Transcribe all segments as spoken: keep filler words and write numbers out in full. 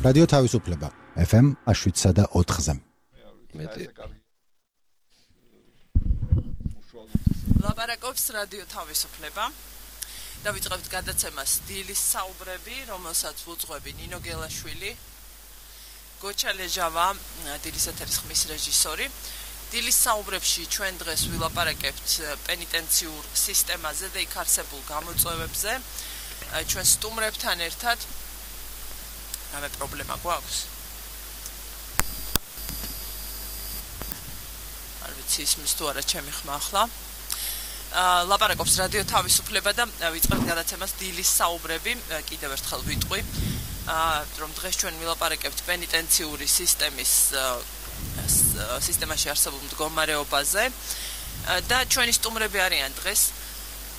რადიო თავისუფლება ეფ ემ შვიდსა და ოთხზე. ლაპარაკობს რადიო თავისუფლება. დავიწყებთ გადაცემას დილის საუბრები, რომელსაც უძღვები ნინო გელაშვილი, გოჩა ლეჟავა, დილის ეთერის ხმის რეჟისორი. დილის საუბრებში ჩვენ დღეს ვილაპარაკებთ პენიტენციურ სისტემაზე და იქ არსებულ გამოწვევებზე. ჩვენ სტუმრებთან ერთად რამე პრობლემა გვაქვს? არ ვიცი ისმის თუ არა ჩემი ხმა ახლა. ლაპარაკობს რადიო თავისუფლება და ვიწყებთ გადაცემას დილის საუბრები. კიდევ ერთხელ ვიტყვი, რომ დღეს ჩვენ ვილაპარაკებთ პენიტენციური სისტემის სისტემაში არსებულ მდგომარეობაზე და ჩვენი სტუმრები არიან დღეს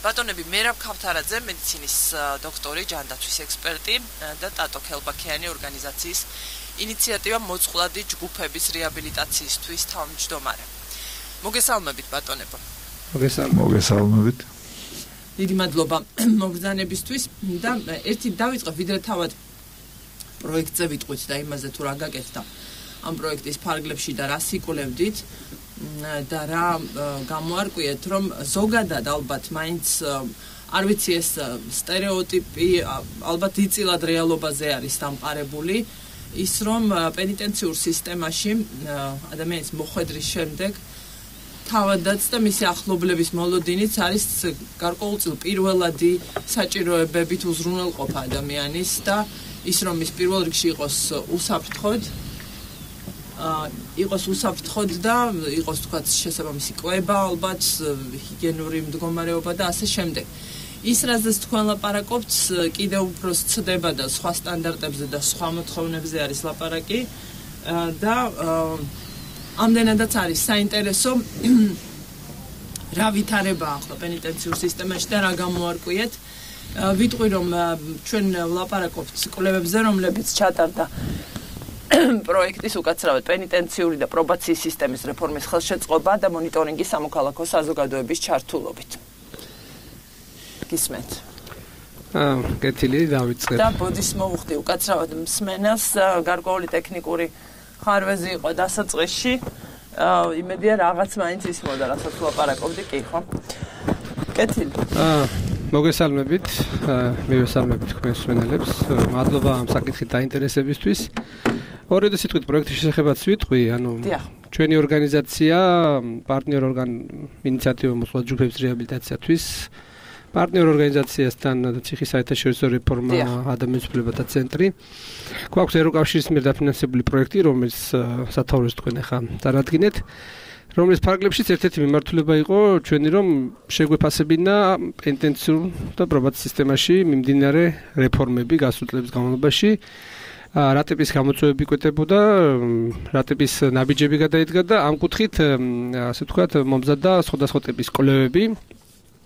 ბატონები მერაბ ქავთარაძე, მედიცინის დოქტორი, ჯანდაცვის ექსპერტი და ტატო ქელბაქიანი ორგანიზაციის ინიციატივა მოწყვლადი ჯგუფების რეაბილიტაციისთვის თავმჯდომარე. მოგესალმებით ბატონებო. მოგესალმებით. დიდი მადლობა მოგზანებისთვის და ერთი დავიწყებ ვიდრე თავად პროექტზე ვიტყვით და იმაზე თუ რა გაკეთდა ამ პროექტის ფარგლებში და რა სიკულევდით და რა გამოარკვიეთ, რომ ზოგადად ალბათ მაინც არ ვიცი ეს სტერეოტიპი ალბათ იწილად რეალობაზე არის დამყარებული ის, რომ პენიტენციურ სისტემაში ადამიანის მოხვედრის შემდეგ თავადაც და მისი ახლობლების მოლოდინიც არის გარკვეულწილ პირველადი საჭიროებებით უზრუნველყოფა ადამიანის და ის, რომ ის პირველ რიგში იყოს უსაფრთხოდ იყოს უსაფრთხოდ და იყოს თქვათ შესაბამისი კვება, ალბათ ჰიგიენური მდგომარეობა და ასე შემდეგ. ის რაზეც თქვენ ლაპარაკობთ, კიდევ უფრო სცდება და სხვა სტანდარტებზე და სხვა მოთხოვნებზე არის ლაპარაკი და ამდენადაც არის საინტერესო რა ვითარებაა ახლა პენიტენციურ სისტემაში და რა გამოარკვიეთ. ვიტყვი, რომ ჩვენ ლაპარაკობთ კვლევებზე, რომლებიც ჩატარდა პროექტის უკაცრავად პენიტენციური და პრობაციის სისტემის რეფორმის ხელშეწყობა და მონიტორინგი სამოქალაქო საზოგადოების ჩართულობით. გისმენთ? აა, კეთილი, დავიწყებ. და ბოდის მოვუხდი უკაცრავად მსმენელს, გარკვეული ტექნიკური ხარვეზი იყო დასაწყისში. იმედია რაღაც მაინც ისმოდა, რასაც ლაპარაკობდი, კი ხო? კეთილი. აა, მოგესალმებით. მივესალმებით თქვენს მსმენელებს. მადლობა ამ საკითხით დაინტერესებისთვის. ორიოდე სიტყვით პროექტის შესახებაც ვიტყვი, ანუ ჩვენი ორგანიზაცია პარტნიორ ორგან ინიციატივა მოწყვლადი ჯგუფების რეაბილიტაციისთვის პარტნიორ ორგანიზაციასთან ციხის საერთაშორისო რეფორმა ადამიანის უფლებათა ცენტრი. გვაქვს ევროკავშირის მიერ დაფინანსებული პროექტი, რომელიც სათაურებს თქვენ ახლა წარადგინეთ, რომლის ფარგლებშიც ერთ-ერთი მიმართულება იყო ჩვენი, რომ შეგვეფასებინა პენიტენციურ და პრობაციის სისტემაში მიმდინარე რეფორმები გასულ წლების განმავლობაში. რა ტიპის გამოწვევები გვეტებოდა, რა ტიპის ნაბიჯები გადაიდგა და ამ კუთხით, ასე ვთქვათ, მომზადდა სხვადასხვა ტიპის კვლევები,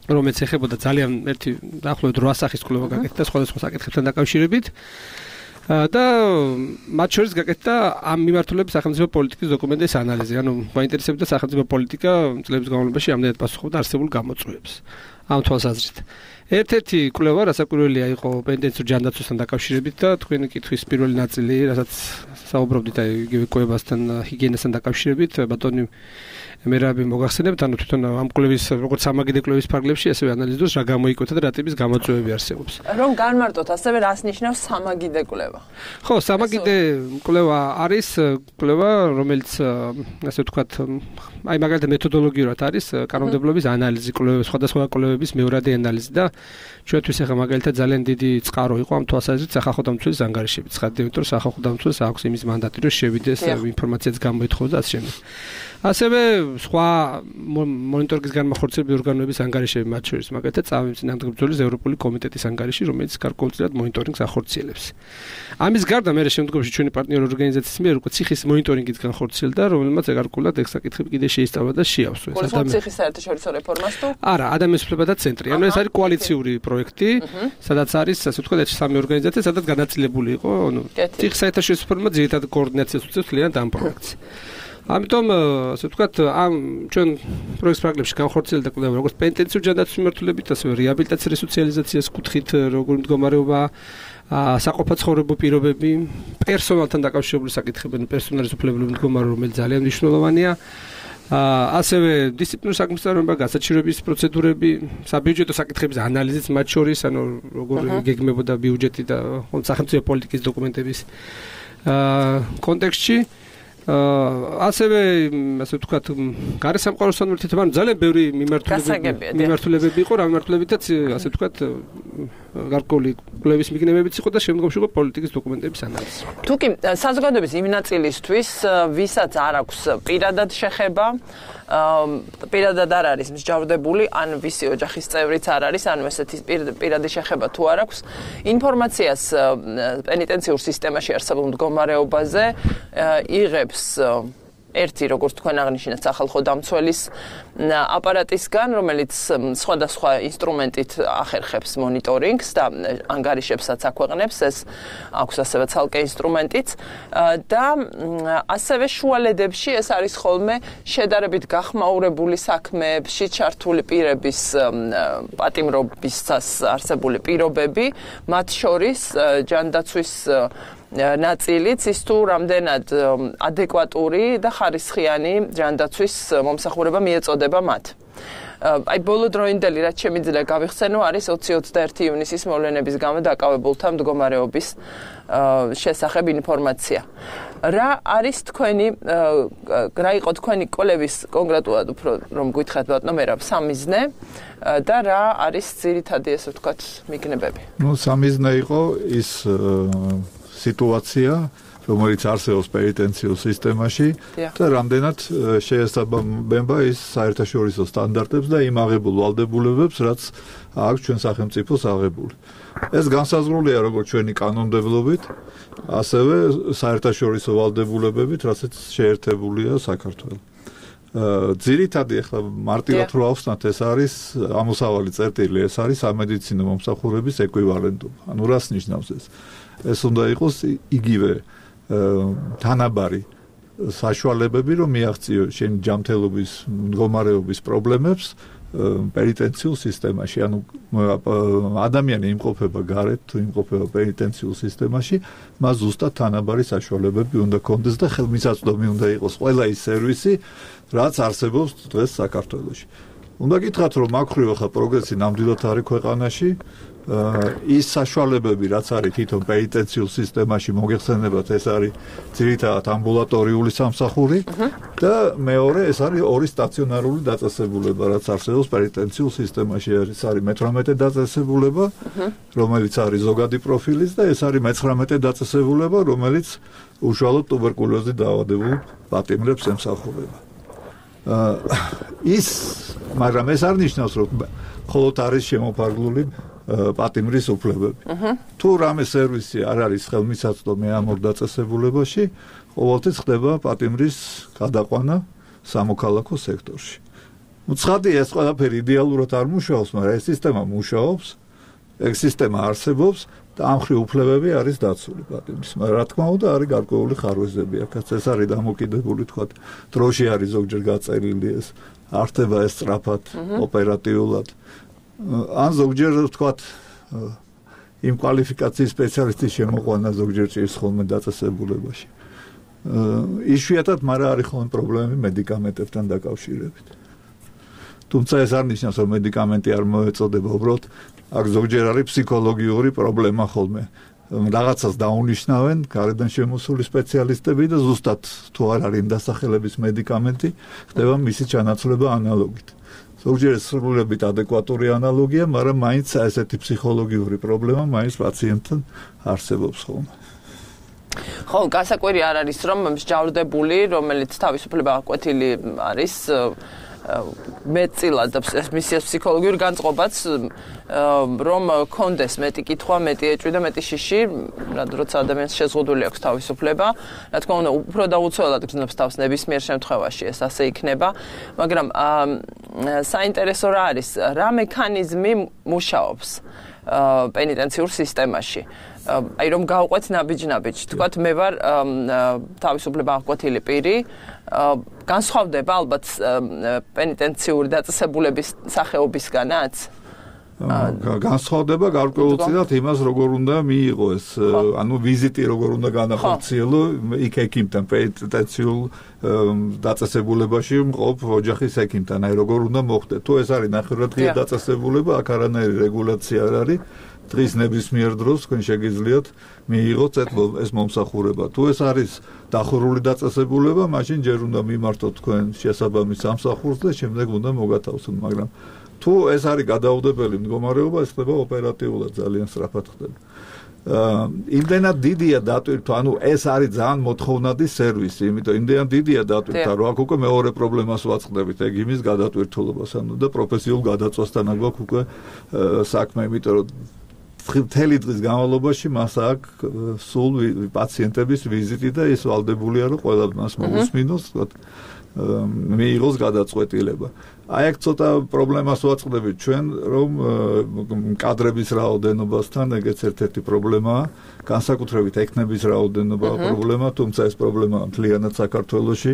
რომელიც ეხებოდა ძალიან ერთი დაახლოებით რვა სახის კვლევა გაკეთდა სხვადასხვა საკითხებთან დაკავშირებით და მათ შორის გაკეთდა ამ მიმართულებით სახელმწიფო პოლიტიკის დოკუმენტების ანალიზი. ანუ მაინტერესებდა სახელმწიფო პოლიტიკა წლების განმავლობაში ამდენად პასუხობდა არსებულ გამოწვევებს. ამ თვალსაზრისით. ერთ-ერთი კვლევა, რასაკვირველია, იყო პენიტენციურ ჯანდაცვასთან დაკავშირებით და თქვენი კითხვის პირველი ნაწილი, რასაც საუბრობდით აი იგივე კვებასთან, ჰიგიენასთან დაკავშირებით, ბატონი მერაბი მოგახსენებთ, ანუ თვითონ ამ კვლევის როგორც სამაგიდე კვლევის ფარგლებში, ასევე ანალიზდოს რა გამოიკვეთა და რა ტიპის გამოწვევები არსებობს. რომ განმარტოთ, ასევე რას ნიშნავს სამაგიდე კვლევა? ხო, სამაგიდე კვლევა არის კვლევა, რომელიც ასე ვთქვათ, აი მაგალითად მეთოდოლოგიურად არის კანონმდებლობის ანალიზი, კვლევა, სხვადასხვა კვლევების მეორადი ანალიზი და ჩვენთვის ახლა მაგალითად ძალიან დიდი წყარო იყო ამ თვალსაზრისით სახალხო დამცველის ანგარიშები. ცხადია, იმიტომ რომ სახალხო დამცველს აქვს იმის მანდატი, რომ შევიდეს ინფორმაციაც გამოითხოვოს და ასე შემდეგ. ასევე სხვა მონიტორინგის განმახორციელებელი ორგანოების ანგარიშები, მათ შორის მაგალითად წამების წინამძღოლების ევროპული კომიტეტის ანგარიში, რომელიც გარკვეულწილად მონიტორინგს ახორციელებს. ამის გარდა მე შემდგომში ჩვენი პარტნიორ ორგანიზაციის მიერ უკვე ციხის მონიტორინგიც განხორციელდა, რომელმაც გარკვეულად ეს საკითხები კიდე შეისწავლა და შეავსო. ეს ადამიანი ციხის საერთაშორისო რეფორმას თუ? არა, ადამიანის უფლებათა ცენტრი. ანუ ეს არის კოალიციური პროექტი, სადაც არის, ასე ვთქვათ, სამი ორგანიზაცია, სადაც განაწილებული იყო, ანუ ციხის საერთაშორისო რეფორმა ძირითადად კოორდინაციას უწევს ძალიან ამ პროექტს. ამიტომ ასე ვთქვათ, ამ ჩვენ პროექტ ფრაგლებში განხორციელდა კვლევა როგორც პენტენციურ ჯანდაცვის მიმართულებით, ასევე რეაბილიტაციის რესოციალიზაციის კუთხით როგორი მდგომარეობა საყოფა ცხოვრებო პირობები, პერსონალთან დაკავშირებული საკითხები, პერსონალის უფლებები მდგომარეობა, რომელიც ძალიან მნიშვნელოვანია. ასევე დისციპლინური საქმისწავლება, გასაჩივრების პროცედურები, საბიუჯეტო საკითხების ანალიზიც მათ შორის, ანუ როგორ გეგმებოდა ბიუჯეტი და სახელმწიფო პოლიტიკის დოკუმენტების კონტექსტში. ასევე ასე ვთქვათ, გარესამყაროსთან ურთიერთობამ ძალიან ბევრი მიმართულებები მიმართულებები იყო, რა მიმართულებითაც ასე ვთქვათ, გარკვეული კვლევის მიგნებებიც იყო და შემდგომში იყო პოლიტიკის დოკუმენტების ანალიზი. თუკი საზოგადოების იმ ნაწილისთვის, ვისაც არ აქვს პირადად შეხება, პირადად არ არის მსჯავრდებული, ან ვისი ოჯახის წევრიც არ არის, ან ესეთი პირადი შეხება თუ არ აქვს, ინფორმაციას პენიტენციურ სისტემაში არსებულ მდგომარეობაზე იღებს ერთი, როგორც თქვენ აღნიშნეთ, სახალხო დამცველის აპარატისგან, რომელიც სხვადასხვა ინსტრუმენტით ახერხებს მონიტორინგს და ანგარიშებსაც აქვეყნებს, ეს აქვს ასევე ცალკე ინსტრუმენტიც და ასევე შუალედებში ეს არის ხოლმე შედარებით გახმაურებული საქმეებში ჩართული პირების პატიმრობისას არსებული პირობები, მათ შორის ჯანდაცვის ნაწილიც ის თუ რამდენად ადეკვატური და ხარისხიანი ჯანდაცვის მომსახურება მიეწოდება მათ. აი ბოლო დროინდელი რაც შემიძლია გავიხსენო არის ოცი ოცდაერთი ივნისის მოვლენების გამო დაკავებულთა მდგომარეობის შესახებ ინფორმაცია. რა არის თქვენი რა იყო თქვენი კვლევის კონკრეტულად უფრო რომ გითხრათ ბატონო მერაბ სამიზნე და რა არის ძირითადი ესე ვთქვათ მიგნებები? ნუ სამიზნე იყო ის სიტუაცია, რომელიც არსებობს პენიტენციურ სისტემაში და რამდენად შეესაბამება ის საერთაშორისო სტანდარტებს და იმ აღებულ ვალდებულებებს, რაც აქვს ჩვენ სახელმწიფოს აღებული. ეს განსაზღვრულია როგორც ჩვენი კანონმდებლობით, ასევე საერთაშორისო ვალდებულებებით, რასაც შეერთებულია საქართველო. ძირითადი ახლა მარტივად რო ავხსნათ, ეს არის ამოსავალი წერტილი, ეს არის სამედიცინო მომსახურების ეკვივალენტობა. ანუ რას ნიშნავს ეს? ეს უნდა იყოს იგივე თანაბარი საშუალებები, რომ მიაღწიო შენი ჯანმრთელობის მდგომარეობის პრობლემებს პენიტენციურ სისტემაში. ანუ ადამიანი იმყოფება გარეთ, თუ იმყოფება პენიტენციურ სისტემაში, მას ზუსტად თანაბარი საშუალებები უნდა კონდეს და ხელმისაწვდომი უნდა იყოს ყველა ის სერვისი, რაც არსებობს დღეს საქართველოში. უნდა გითხრათ, რომ აქრივ ახლა პროგრესი ნამდვილად არის ქვეყანაში. ის საშუალებები, რაც არის თვითონ პენიტენციურ სისტემაში მოგეხსენებათ, ეს არის ძირითადად ამბულატორიული სამსახური და მეორე ეს არის ორი სტაციონარული დაწესებულება, რაც არსებობს პენიტენციურ სისტემაში. ეს არის მეთვრამეტე დაწესებულება, რომელიც არის ზოგადი პროფილის და ეს არის მეცხრამეტე დაწესებულება, რომელიც უშუალოდ ტუბერკულოზით დაავადებულ პატიმრებს ემსახურება. ის, მაგრამ ეს არ ნიშნავს, რომ მხოლოდ არის შემოფარგლული პატიმრის უფლებები. თუ რამე სერვისი არ არის ხელმისაწვდომი ამ ორ დაწესებულებაში, ყოველთვის ხდება პატიმრის გადაყვანა სამოქალაქო სექტორში. ნუ ცხადია, ეს ყველაფერი იდეალურად არ მუშაობს, მაგრამ ეს სისტემა მუშაობს, ეს სისტემა არსებობს და ამ ხრი უფლებები არის დაცული პატიმრის. მაგრამ რა თქმა უნდა, არის გარკვეული ხარვეზები, აქაც ეს არის დამოკიდებული, თქვათ, დროში არის ზოგჯერ გაწერილი ეს, არ ხდება ეს სწრაფად, ოპერატიულად. ან ზოგჯერ ვთქვათ იმ კვალიფიკაციის სპეციალისტის შემოყვანა ზოგჯერ ჭირს ხოლმე დაწესებულებაში. იშვიათად, მაგრამ არის ხოლმე პრობლემები მედიკამენტებთან დაკავშირებით. თუმცა ეს არ ნიშნავს, რომ მედიკამენტი არ მოეწოდება, უბრალოდ აქ ზოგჯერ არის ფსიქოლოგიური პრობლემა ხოლმე. რაღაცას დაუნიშნავენ გარედან შემოსული სპეციალისტები და ზუსტად თუ არ არის დასახელების მედიკამენტი, ხდება მისი ჩანაცვლება ანალოგით. ზოგჯერ სრულებით ადეკვატური ანალოგია, მაგრამ მაინც ესეთი ფსიქოლოგიური პრობლემა მაინც პაციენტთან არსებობს ხოლმე. ხო, გასაკვირი არ არის, რომ მსჯავრდებული, რომელიც თავისუფლება აკვეთილი არის, მეტწილად მის ფსიქოლოგიურ განწყობაც რომ კონდეს მეტი კითხვა, მეტი ეჭვი და მეტი შიში, როცა ადამიანს შეზღუდული აქვს თავისუფლება, რა თქმა უნდა, უფრო დაუცველად გრძნობს თავს ნებისმიერ შემთხვევაში ეს ასე იქნება, მაგრამ საინტერესო რა არის, რა მექანიზმი მუშაობს პენიტენციურ სისტემაში. აი რომ გავყვეთ ნაბიჯ-ნაბიჯ. თქვათ მე ვარ თავისუფლება აღკვეთილი პირი. განსხვავდება ალბათ პენიტენციური დაწესებულების სახეობისგანაც? განსხვავდება გარკვეულწილად იმას როგორ უნდა მიიღო ეს ანუ ვიზიტი როგორ უნდა განახორციელო იქ ექიმთან პენიტენციურ დაწესებულებაში მყოფ ოჯახის ექიმთან აი როგორ უნდა მოხდეს თუ ეს არის ნახევრადღია დაწესებულება აქ არანაირი რეგულაცია არ არის დღის ნებისმიერ დროს თქვენ შეგიძლიათ მიიღოთ ეს მომსახურება თუ ეს არის დახურული დაწესებულება მაშინ ჯერ უნდა მიმართოთ თქვენ შესაბამის სამსახურს და შემდეგ უნდა მოგათავსოთ მაგრამ თუ ეს არის გადაუდებელი მდგომარეობა, ეს ხდება ოპერატიულად ძალიან სწრაფად ხდება. იმდენად დიდია დატვირთვა, ანუ ეს არის ძალიან მოთხოვნადი სერვისი, იმიტომ იმდენად დიდია დატვირთვა, რომ აქ უკვე მეორე პრობლემას ვაწყდებით, ეგ იმის გადატვირთულობას, ანუ და პროფესიულ გადაწყვეტასთან აგვაქვს უკვე საქმე, იმიტომ რომ მთელი დღის განმავლობაში მას აქვს სულ პაციენტების ვიზიტი და ის ვალდებულია, რომ ყველა მას მოусმინოს, თქვათ მიიღოს გადაწყვეტილება. აი აქ ცოტა პრობლემას ვაწყდებით ჩვენ, რომ კადრების რაოდენობასთან ეგეც ერთ-ერთი პრობლემაა, განსაკუთრებით ექნების რაოდენობაა პრობლემა, თუმცა ეს პრობლემაა მთლიანად საქართველოში,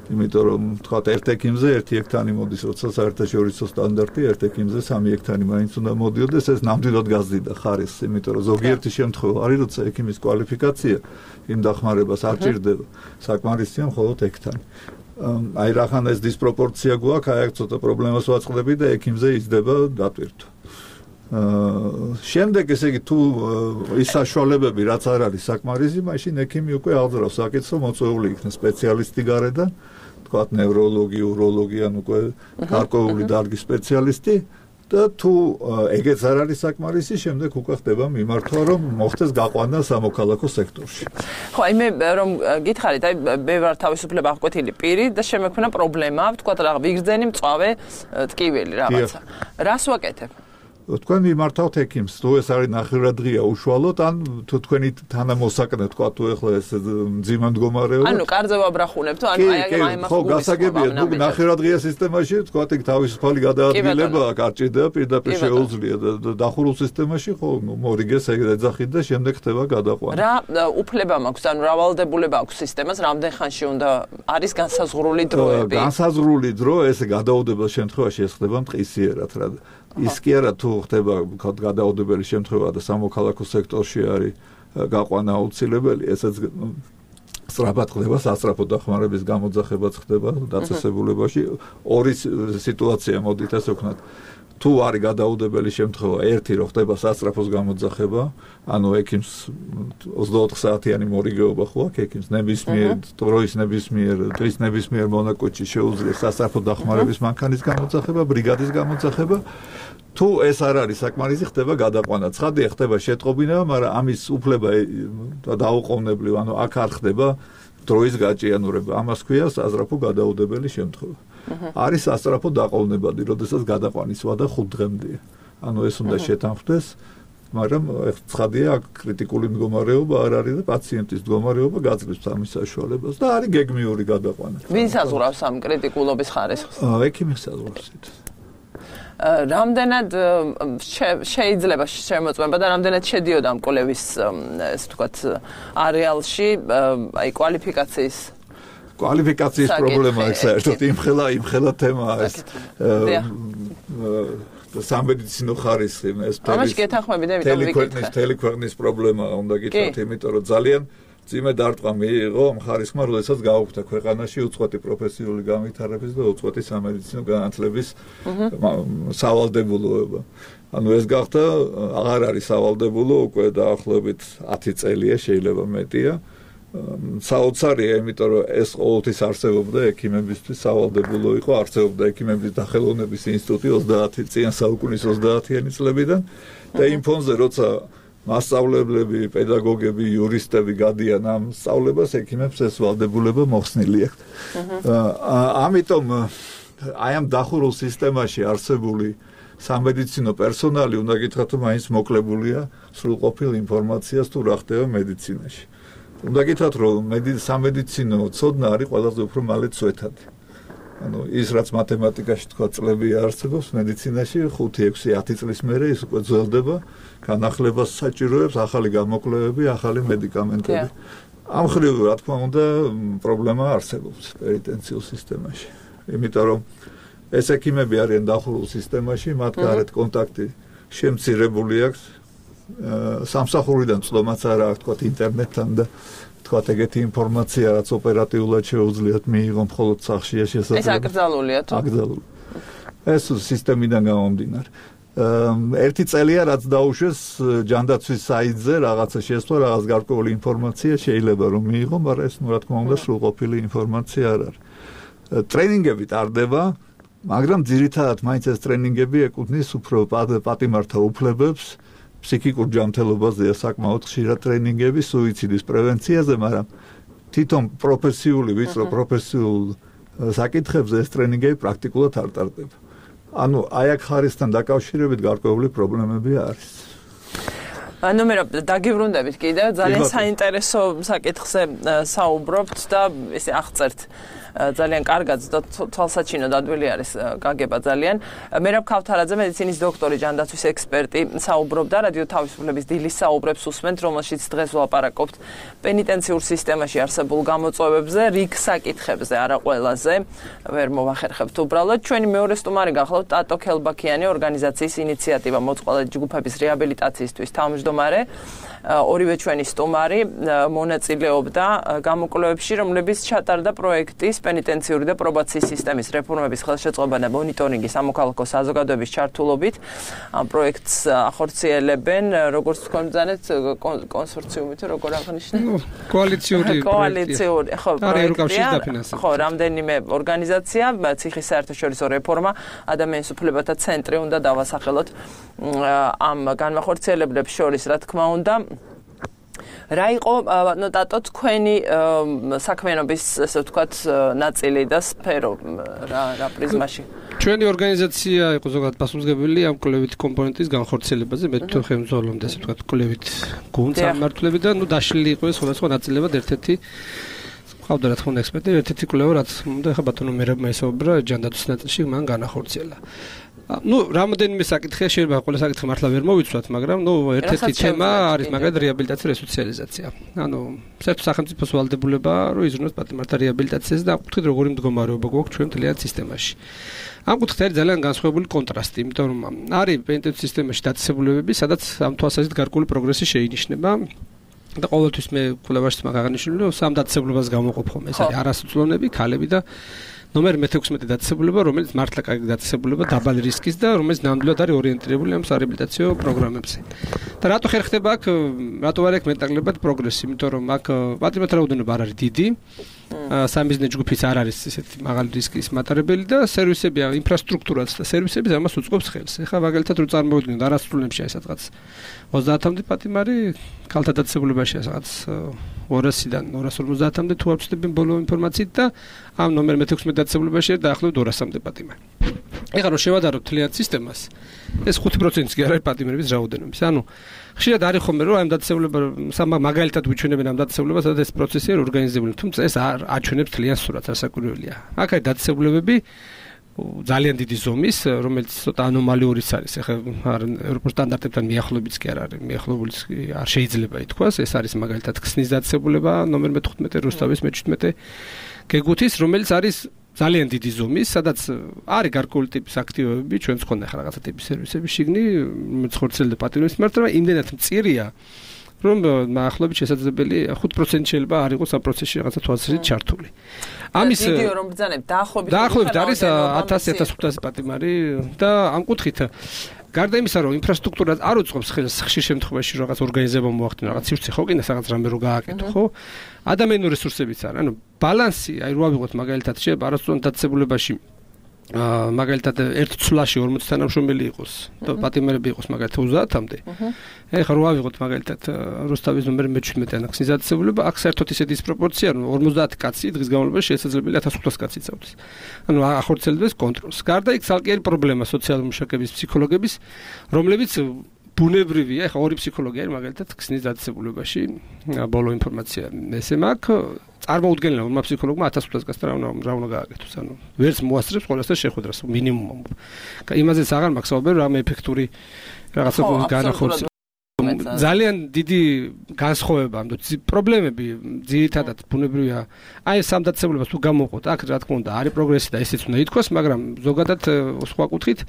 იმიტომ რომ თქვათ ერთ ექიმზე ერთი ექთანი მოდის, როცა საერთაშორისო სტანდარტი ერთ ექიმზე სამი ექთანი მაინც უნდა მოდიოდეს, ეს ნამდვილად გაზრდიდა ხარისხს, იმიტომ რომ ზოგიერთი შემთხვევა არის, როცა ექიმის კვალიფიკაცია იმ დახმარებას არ ჭირდება, საკმარისია მხოლოდ ექთანი. აი რახან ეს დისპროპორცია გვაქვს, აი აქ ცოტა პრობლემას ვაწყდები და ექიმზე იზრდება დატვირთვა. შემდეგ ესე იგი თუ ის საშუალებები რაც არ არის საკმარისი, მაშინ ექიმი უკვე აღძრავს საკითხს, მოწვეული იქნა სპეციალისტი გარედან, თქვათ ნევროლოგი, უროლოგი, ან უკვე გარკვეული დარგის სპეციალისტი და თუ ეგეც არ არის საკმარისი, შემდეგ უკვე ხდება მიმართვა, რომ მოხდეს გაყვანა სამოქალაქო სექტორში. ხო, აი მე რომ გითხარით, აი მე ვარ თავისუფლება აღკვეთილი პირი და შემექმნა პრობლემა, თქვათ რა ვიგრძენი მწვავე ტკივილი რაღაცა. რას ვაკეთებ? თქვენ მიმართავთ ექიმს, თუ ეს არის ნახევრადღია უშუალოდ, ან თუ თქვენი თანამოსაკნე, თქვა თუ ეხლა ეს მძიმე მდგომარეობა. ანუ კარზე ვაბრახუნებ, თუ ანუ აი აი მაგ ხო, გასაგებია, თუ ნახევრადღია სისტემაში, თქვა ეგ თავისუფალი გადაადგილება არ ჭირდება, პირდაპირ შეუძლია და დახურულ სისტემაში ხო, მორიგეს ეგ ეძახით და შემდეგ ხდება გადაყვანა. რა უფლება მაქვს, ანუ რა ვალდებულება აქვს სისტემას, რამდენ ხანში უნდა არის განსაზღვრული დროები? განსაზღვრული დრო, ესე გადაუდებელ შემთხვევაში ეს ხდება მტკისიერად, რა ის კი არა თუ ხდება გადაუდებელი შემთხვევა და სამოქალაქო სექტორში არის გაყვანა აუცილებელი, ესეც სწრაფად ხდება, სასწრაფო დახმარების გამოძახებაც ხდება დაწესებულებაში. ორი სიტუაცია მოდით ასე ვქნათ. თუ არის გადაუდებელი შემთხვევა, ერთი რომ ხდება სასწრაფოს გამოძახება, ანუ ექიმს ოცდაოთხ საათიანი მორიგეობა ხო აქვს ექიმს ნებისმიერ დროის ნებისმიერ დღის ნებისმიერ მონაკვეთში შეუძლია სასწრაფო დახმარების მანქანის გამოძახება, ბრიგადის გამოძახება. თუ ეს არ არის საკმარისი, ხდება გადაყვანა. ცხადია, ხდება შეტყობინება, მაგრამ ამის უფლება დაუყოვნებლივ, ანუ აქ არ ხდება დროის გაჭიანურება. ამას ქვია სასწრაფო გადაუდებელი შემთხვევა. არის სასწრაფო დაყოვნებადი, როდესაც გადაყვანის ვადა ხუთ დღემდეა. ანუ ეს უნდა შეთანხმდეს, მაგრამ ცხადია, აქ კრიტიკული მდგომარეობა არ არის და პაციენტის მდგომარეობა გაძლევს ამის საშუალებას და არის გეგმიური გადაყვანა. ვინ საზღვრავს ამ კრიტიკულობის ხარისხს? ექიმი საზღვრავს. რამდენად შეიძლება შემოწმება და რამდენად შედიოდა ამ კვლევის ეს თქვათ არეალში აი კვალიფიკაციის კვალიფიკაციის პრობლემა ეს საერთოდ იმხელა იმხელა თემაა ეს სამედიცინო ხარისხი ეს თელეკვერნის თელეკვერნის პრობლემა უნდა გითხრათ იმიტომ რომ ძალიან ძიმე დარტყმა მიიღო ამ ხარისხმა, როდესაც გაუქმდა ქვეყანაში უწყვეტი პროფესიული განვითარების და უწყვეტი სამედიცინო განათლების სავალდებულოება. ანუ ეს გახდა აღარ არის სავალდებულო უკვე დაახლოებით ათი წელია, შეიძლება მეტია. საოცარია, იმიტომ რომ ეს ყოველთვის არსებობდა ექიმებისთვის სავალდებულო იყო, არსებობდა ექიმების დახელოვნების ინსტიტუტი ოცდაათი წლიან საუკუნის ოცდაათიანი წლებიდან და იმ ფონზე როცა მასწავლებლები, პედაგოგები, იურისტები გადიან ამ სწავლებას, ექიმებს ეს ვალდებულება მოხსნილი აქვს. ამიტომ აი ამ დახურულ სისტემაში არსებული სამედიცინო პერსონალი უნდა გითხრათ, რომ მაინც მოკლებულია სრულყოფილ ინფორმაციას თუ რა ხდება ანუ ის რაც მათემატიკაში თქვა წლები არსებობს მედიცინაში ხუთი ექვსი ათი წლის მერე ის უკვე ძველდება განახლებას საჭიროებს ახალი გამოკვლევები ახალი მედიკამენტები ამ ხრივ რა თქმა უნდა პრობლემა არსებობს პენიტენციურ სისტემაში იმიტომ რომ ეს ექიმები არიან დახურულ სისტემაში მათ გარეთ კონტაქტი შემცირებული აქვს სამსახურიდან წლომაც არა აქვს თქვა ინტერნეტთან და თქვა ეგეთი ინფორმაცია რაც ოპერატიულად შეუძლიათ მიიღონ მხოლოდ სახლშია შესაძლებელი ეს აკრძალულია თუ აკრძალული ეს სისტემიდან გამომდინარე ერთი წელია რაც დაუშვეს ჯანდაცვის საიტზე რაღაცა შესვლა რაღაც გარკვეული ინფორმაცია შეიძლება რომ მიიღო მაგრამ ეს რა თქმა უნდა სრულყოფილი ინფორმაცია არ არის ტრენინგები ტარდება მაგრამ ძირითადად მაინც ეს ტრენინგები ეკუთვნის უფრო პატიმართა უფლებებს ფსიქიკურ ჯანმრთელობაზეა საკმაოდ ხშირად ტრენინგები სუიციდის პრევენციაზე, მაგრამ თვითონ პროფესიული ვიწრო პროფესიულ საკითხებზე ეს ტრენინგები პრაქტიკულად არ ტარდება. ანუ აი აქ ხარისთან დაკავშირებით გარკვეული პრობლემები არის. ანუ მე დაგიბრუნდებით კიდევ ძალიან საინტერესო საკითხზე საუბრობთ და ესე აღწერთ ძალიან კარგად და თვალსაჩინო დადვილი არის გაგება ძალიან. მერაბ ქავთარაძე მედიცინის დოქტორი, ჯანდაცვის ექსპერტი საუბრობდა რადიო თავისუფლების დილის საუბრებს უსმენთ, რომელშიც დღეს ვლაპარაკობთ პენიტენციურ სისტემაში არსებულ გამოწვევებზე, რიგ საკითხებზე, არა ყველაზე. ვერ მოვახერხებთ უბრალოდ. ჩვენი მეორე სტუმარი გახლავთ ტატო ქელბაქიანი, ორგანიზაციის ინიციატივა მოწყვალე ჯგუფების რეაბილიტაციისთვის თავმჯდომარე. ორივე ჩვენი სტუმარი მონაწილეობდა გამოკვლევებში, რომლებიც ჩატარდა პროექტის პენიტენციური და პრობაციის სისტემის რეფორმების ხელშეწყობა და მონიტორინგი სამოქალაქო საზოგადოების ჩართულობით. ამ პროექტს ახორციელებენ, როგორც თქვენ ბრძანეთ, კონსორციუმი თუ როგორ აღნიშნეთ? კოალიციური კოალიციური, ხო, პროექტია. ხო, რამდენიმე ორგანიზაცია, ციხის საერთაშორისო რეფორმა, ადამიანის უფლებათა ცენტრი უნდა დავასახელოთ ამ განმახორციელებლებს შორის, რა თქმა უნდა. რა იყო ნუ ტატო თქვენი საქმიანობის ასე ვთქვათ ნაწილი და სფერო რა რა პრიზმაში ჩვენი ორგანიზაცია იყო ზოგადად პასუხისმგებელი ამ კვლევითი კომპონენტის განხორციელებაზე მე თვითონ ხელმძღვანელობდი ასე ვთქვათ კვლევით გუნდს ამმართველები და ნუ დაშლილი იყო ეს სხვადასხვა ნაწილებად ერთ-ერთი ყავდა რა თქმა უნდა ექსპერტი ერთ-ერთი კვლევა რაც უნდა ხა ბატონო მერაბმა ისაუბრა ჯანდაცვის ნაწილში მან განახორციელა ну, რამოდენიმე საკითხია შეიძლება ყველა საკითხი მართლა ვერ მოვიცვათ, მაგრამ ну, ერთ-ერთი თემა არის მაგალითად რეაბილიტაცია, რესოციალიზაცია. ანუ საერთო სახელმწიფოს ვალდებულება რომ იზრუნოს პატიმართა რეაბილიტაციაზე და ამ კუთხით როგორი მდგომარეობა გვაქვს ჩვენ მთლიან სისტემაში. ამ კუთხით არის ძალიან განსხვავებული კონტრასტი, იმიტომ რომ არის პენიტენციურ სისტემაში დაწესებულებები, სადაც ამ თვალსაზრისით გარკვეული პროგრესი შეინიშნება. და ყოველთვის მე კვლევაში მაგაღანიშნული რომ სამ დაწესებულებას გამოვყოფ ხომ ეს არის არასრულოვნები, ქალები და ნომერ მეთექვსმეტე დაწესებულება, რომელიც მართლა კარგი დაწესებულება, დაბალი რისკის და რომელიც ნამდვილად არის ორიენტირებული ამ სარეაბილიტაციო პროგრამებზე. და რატო ხერ ხდება აქ, რატო არ აქვს მეტნაკლებად პროგრესი, იმიტომ რომ აქ პატიმართა რაოდენობა არ არის დიდი. სამიზნე ჯგუფიც არ არის ესეთი მაღალი რისკის მატარებელი და სერვისები, ინფრასტრუქტურაც და სერვისები ამას უწყობს ხელს. ეხლა მაგალითად რო წარმოვიდგინოთ არასრულნებში აი სადღაც ოცდაათამდე პატიმარი ქალთა დაწესებულებაში სადღაც ორასიდან ორას ორმოცდაათამდე თუ არ ვცდები ბოლო ინფორმაციით და ამ ნომერ მეთექვსმეტე დაწესებულებაში დაახლოებით ორასამდე პატიმარი. ეხლა რო შევადაროთ თლიან სისტემას, ეს ხუთი პროცენტი კი არ არის პატიმრების რაოდენობის. ანუ ხშირად არის ხოლმე რომ ამ დაწესებულება მაგალითად უჩვენებენ ამ დაწესებულებას, სადაც ეს პროცესი არის ორგანიზებული, თუმცა ეს არ აჩვენებს თლიან სურათს, არასაკვირველია. აქ არის დაწესებულებები ძალიან დიდი ზომის, რომელიც ცოტა ანომალიურიც არის. ეხლა ევროპულ სტანდარტებთან მიახლოებიც კი არ არის, მიახლოებულიც არ შეიძლება ითქვას. ეს არის მაგალითად ქსნის დაწესებულება ნომერ მეთხუთმეტე რუსთავის მეჩვიდმეტე გეგუთის, რომელიც არის ძალიან დიდი ზომის, სადაც არის გარკვეული ტიპის აქტივობები, ჩვენც ხონდა ხა რაღაცა ტიპის სერვისები შიგნი, რომელიც ხორციელდება პატიმრის მიმართ, მაგრამ იმდენად მწირია, რომ მახლობით შესაძლებელი ხუთ პროცენტი შეიძლება არ იყოს ამ პროცესში რაღაცა თვალსაზრისით ჩართული. ამის ვიდეო რომ ბრძანებთ დაახლოებით დაახლოებით არის ათასი ათას ხუთასი პატიმარი და ამ კუთხით გარდა იმისა, რომ ინფრასტრუქტურა არ უწყობს ხელს ხშირ შემთხვევაში რაღაც ორგანიზება მოახდინო, რაღაც სივრცე ხო კიდე რაღაც რამე რო გააკეთო, ხო? ადამიანური რესურსებიც არის. ანუ ბალანსი, აი რო ავიღოთ მაგალითად შეიძლება არასწორად დაწესებულებაში აა მაგალითად ერთ ცვლაში ორმოცი თანამშრომელი იყოს და პატიმარები იყოს მაგალითად ოცდაათამდე. ეხლა რო ავიღოთ მაგალითად რუსთავის ნომერ მეჩვიდმეტე ან ქსნის დაწესებულება, აქ საერთოდ ისეთი დისპროპორცია, რომ ორმოცდაათი კაცი დღის განმავლობაში შესაძლებელი ათას ხუთას კაცი წავდეს. ანუ ახორციელებს კონტროლს. გარდა იქ ცალკე პრობლემა სოციალური მუშაკების, ფსიქოლოგების, რომლებიც ბუნებრივია, ეხლა ორი ფსიქოლოგი არის მაგალითად ქსნის დაწესებულებაში, ბოლო ინფორმაცია ესე მაქვს, წარმოუდგენელია ურმა ფსიქოლოგმა ათას ხუთას კაცთან რა უნდა რა უნდა გააკეთოს. ანუ ვერც მოასწრებს ყველასთან შეხვედრას მინიმუმ. იმაზეც აღარ მაქვს საუბარი რამე ეფექტური რაღაცა განახორციელოს. ძალიან დიდი განსხვავება ამ პრობლემები ძირითადად ბუნებრივია აი სამდაცებლობას თუ გამოვყოთ აქ რა თქმა უნდა არის პროგრესი და ესეც უნდა ითქვას მაგრამ ზოგადად სხვა კუთხით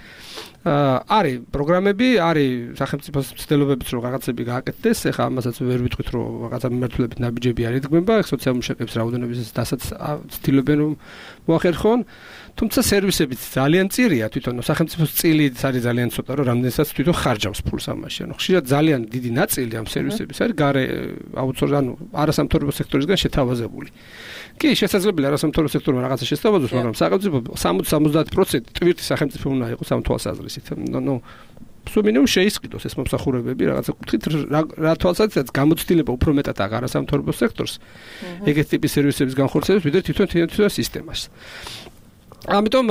არის პროგრამები არის სახელმწიფოს ცდილობებიც რომ რაღაცები გააკეთდეს ეხლა ამასაც ვერ ვიტყვით რომ რაღაცა მიმართულებით ნაბიჯები არ იდგმება სოციალურ მუშაკებს რაოდენობის დასაც ცდილობენ რომ მოახერხონ თუმცა სერვისებიც ძალიან წირია თვითონ სახელმწიფოს წილიც არის ძალიან ცოტა რომ რამდენსაც თვითონ ხარჯავს ფულს ამაში ანუ ხშირად ძალიან დიდი ნაწილი ამ სერვისების არის გარე აუცილებლად ანუ არასამთავრობო სექტორისგან შეთავაზებული. კი, შესაძლებელია არასამთავრობო სექტორმა რაღაცა შესთავაზოს, მაგრამ სახელმწიფო სამოცი სამოცდაათი პროცენტი ტვირთი სახელმწიფო უნდა იყოს ამ თვალსაზრისით. ნუ სულ მინიმუმ შეისყიდოს ეს მომსახურებები რაღაცა კუთხით რა თვალსაზრისით გამოცდილება უფრო მეტად აღარ არასამთავრობო სექტორს ეგეთ ტიპის სერვისების განხორციელებას ვიდრე თვითონ თვითონ სისტემას. ამიტომ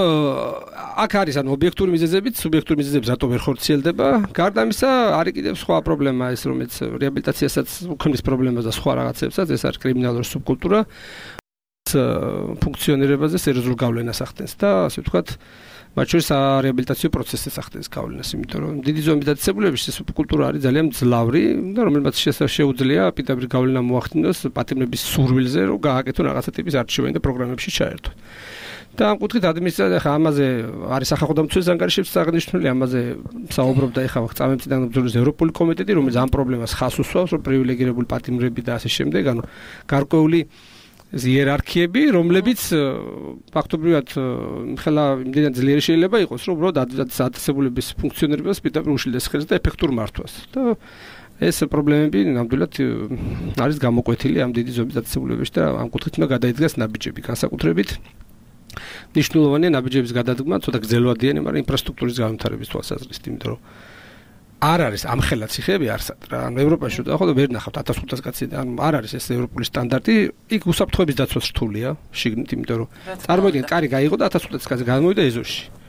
აქ არის ანუ ობიექტური მიზეზებიც, სუბიექტური მიზეზებიც რატო ვერ ხორციელდება? გარდა ამისა, არის კიდევ სხვა პრობლემა ეს, რომელიც რეაბილიტაციასაც უქმნის პრობლემას და სხვა რაღაცებსაც, ეს არის კრიმინალური სუბკულტურა. ფუნქციონირებაზე სერიოზულ გავლენას ახდენს და ასე ვთქვათ, მათ შორის რეაბილიტაციო პროცესს ახდენს გავლენას, იმიტომ რომ დიდი ზომის დაწესებულებებში სუბკულტურა არის ძალიან მძლავრი და რომელმაც შეუძლია პირდაპირ გავლენა მოახდინოს პატიმრების სურვილზე, რომ გააკეთონ რაღაცა ტიპის არჩევანი და პროგრამებში ჩაერთონ. და ამ კუთხით ადმინისტრაცია ხა ამაზე არის სახალხო დამცველის ანგარიშებს აღნიშნული ამაზე საუბრობდა ეხლა წამემწიდან ბრძოლის ევროპული კომიტეტი რომელიც ამ პრობლემას ხაზს უსვავს რომ პრივილეგირებული პატიმრები და ასე შემდეგ ანუ გარკვეული იერარქიები რომლებიც ფაქტობრივად ხელა იმდენად ძლიერი შეიძლება იყოს რომ უბრალოდ დაწესებულების ფუნქციონირებას პირდაპირ უშლის ხელს და ეფექტურ მართვას და ეს პრობლემები ნამდვილად არის გამოკვეთილი ამ დიდი ზომის დაწესებულებებში და ამ კუთხით უნდა გადაიდგას ნაბიჯები განსაკუთრებით ნიშნულოვანია ნაბიჯების გადადგმა, ცოტა გრძელვადიანი, მაგრამ ინფრასტრუქტურის განვითარების თვალსაზრისით, იმიტომ რომ არ არის ამხელა ციხეები არსად რა. ანუ ევროპაში და ახლა ვერ ნახავთ ათას ხუთას კაცი და ანუ არ არის ეს ევროპული სტანდარტი, იქ უსაფრთხოების დაცვას რთულია, შიგნით, იმიტომ რომ წარმოიდგინეთ, კარი გაიღო და ათას ხუთას კაცი გამოვიდა ეზოში.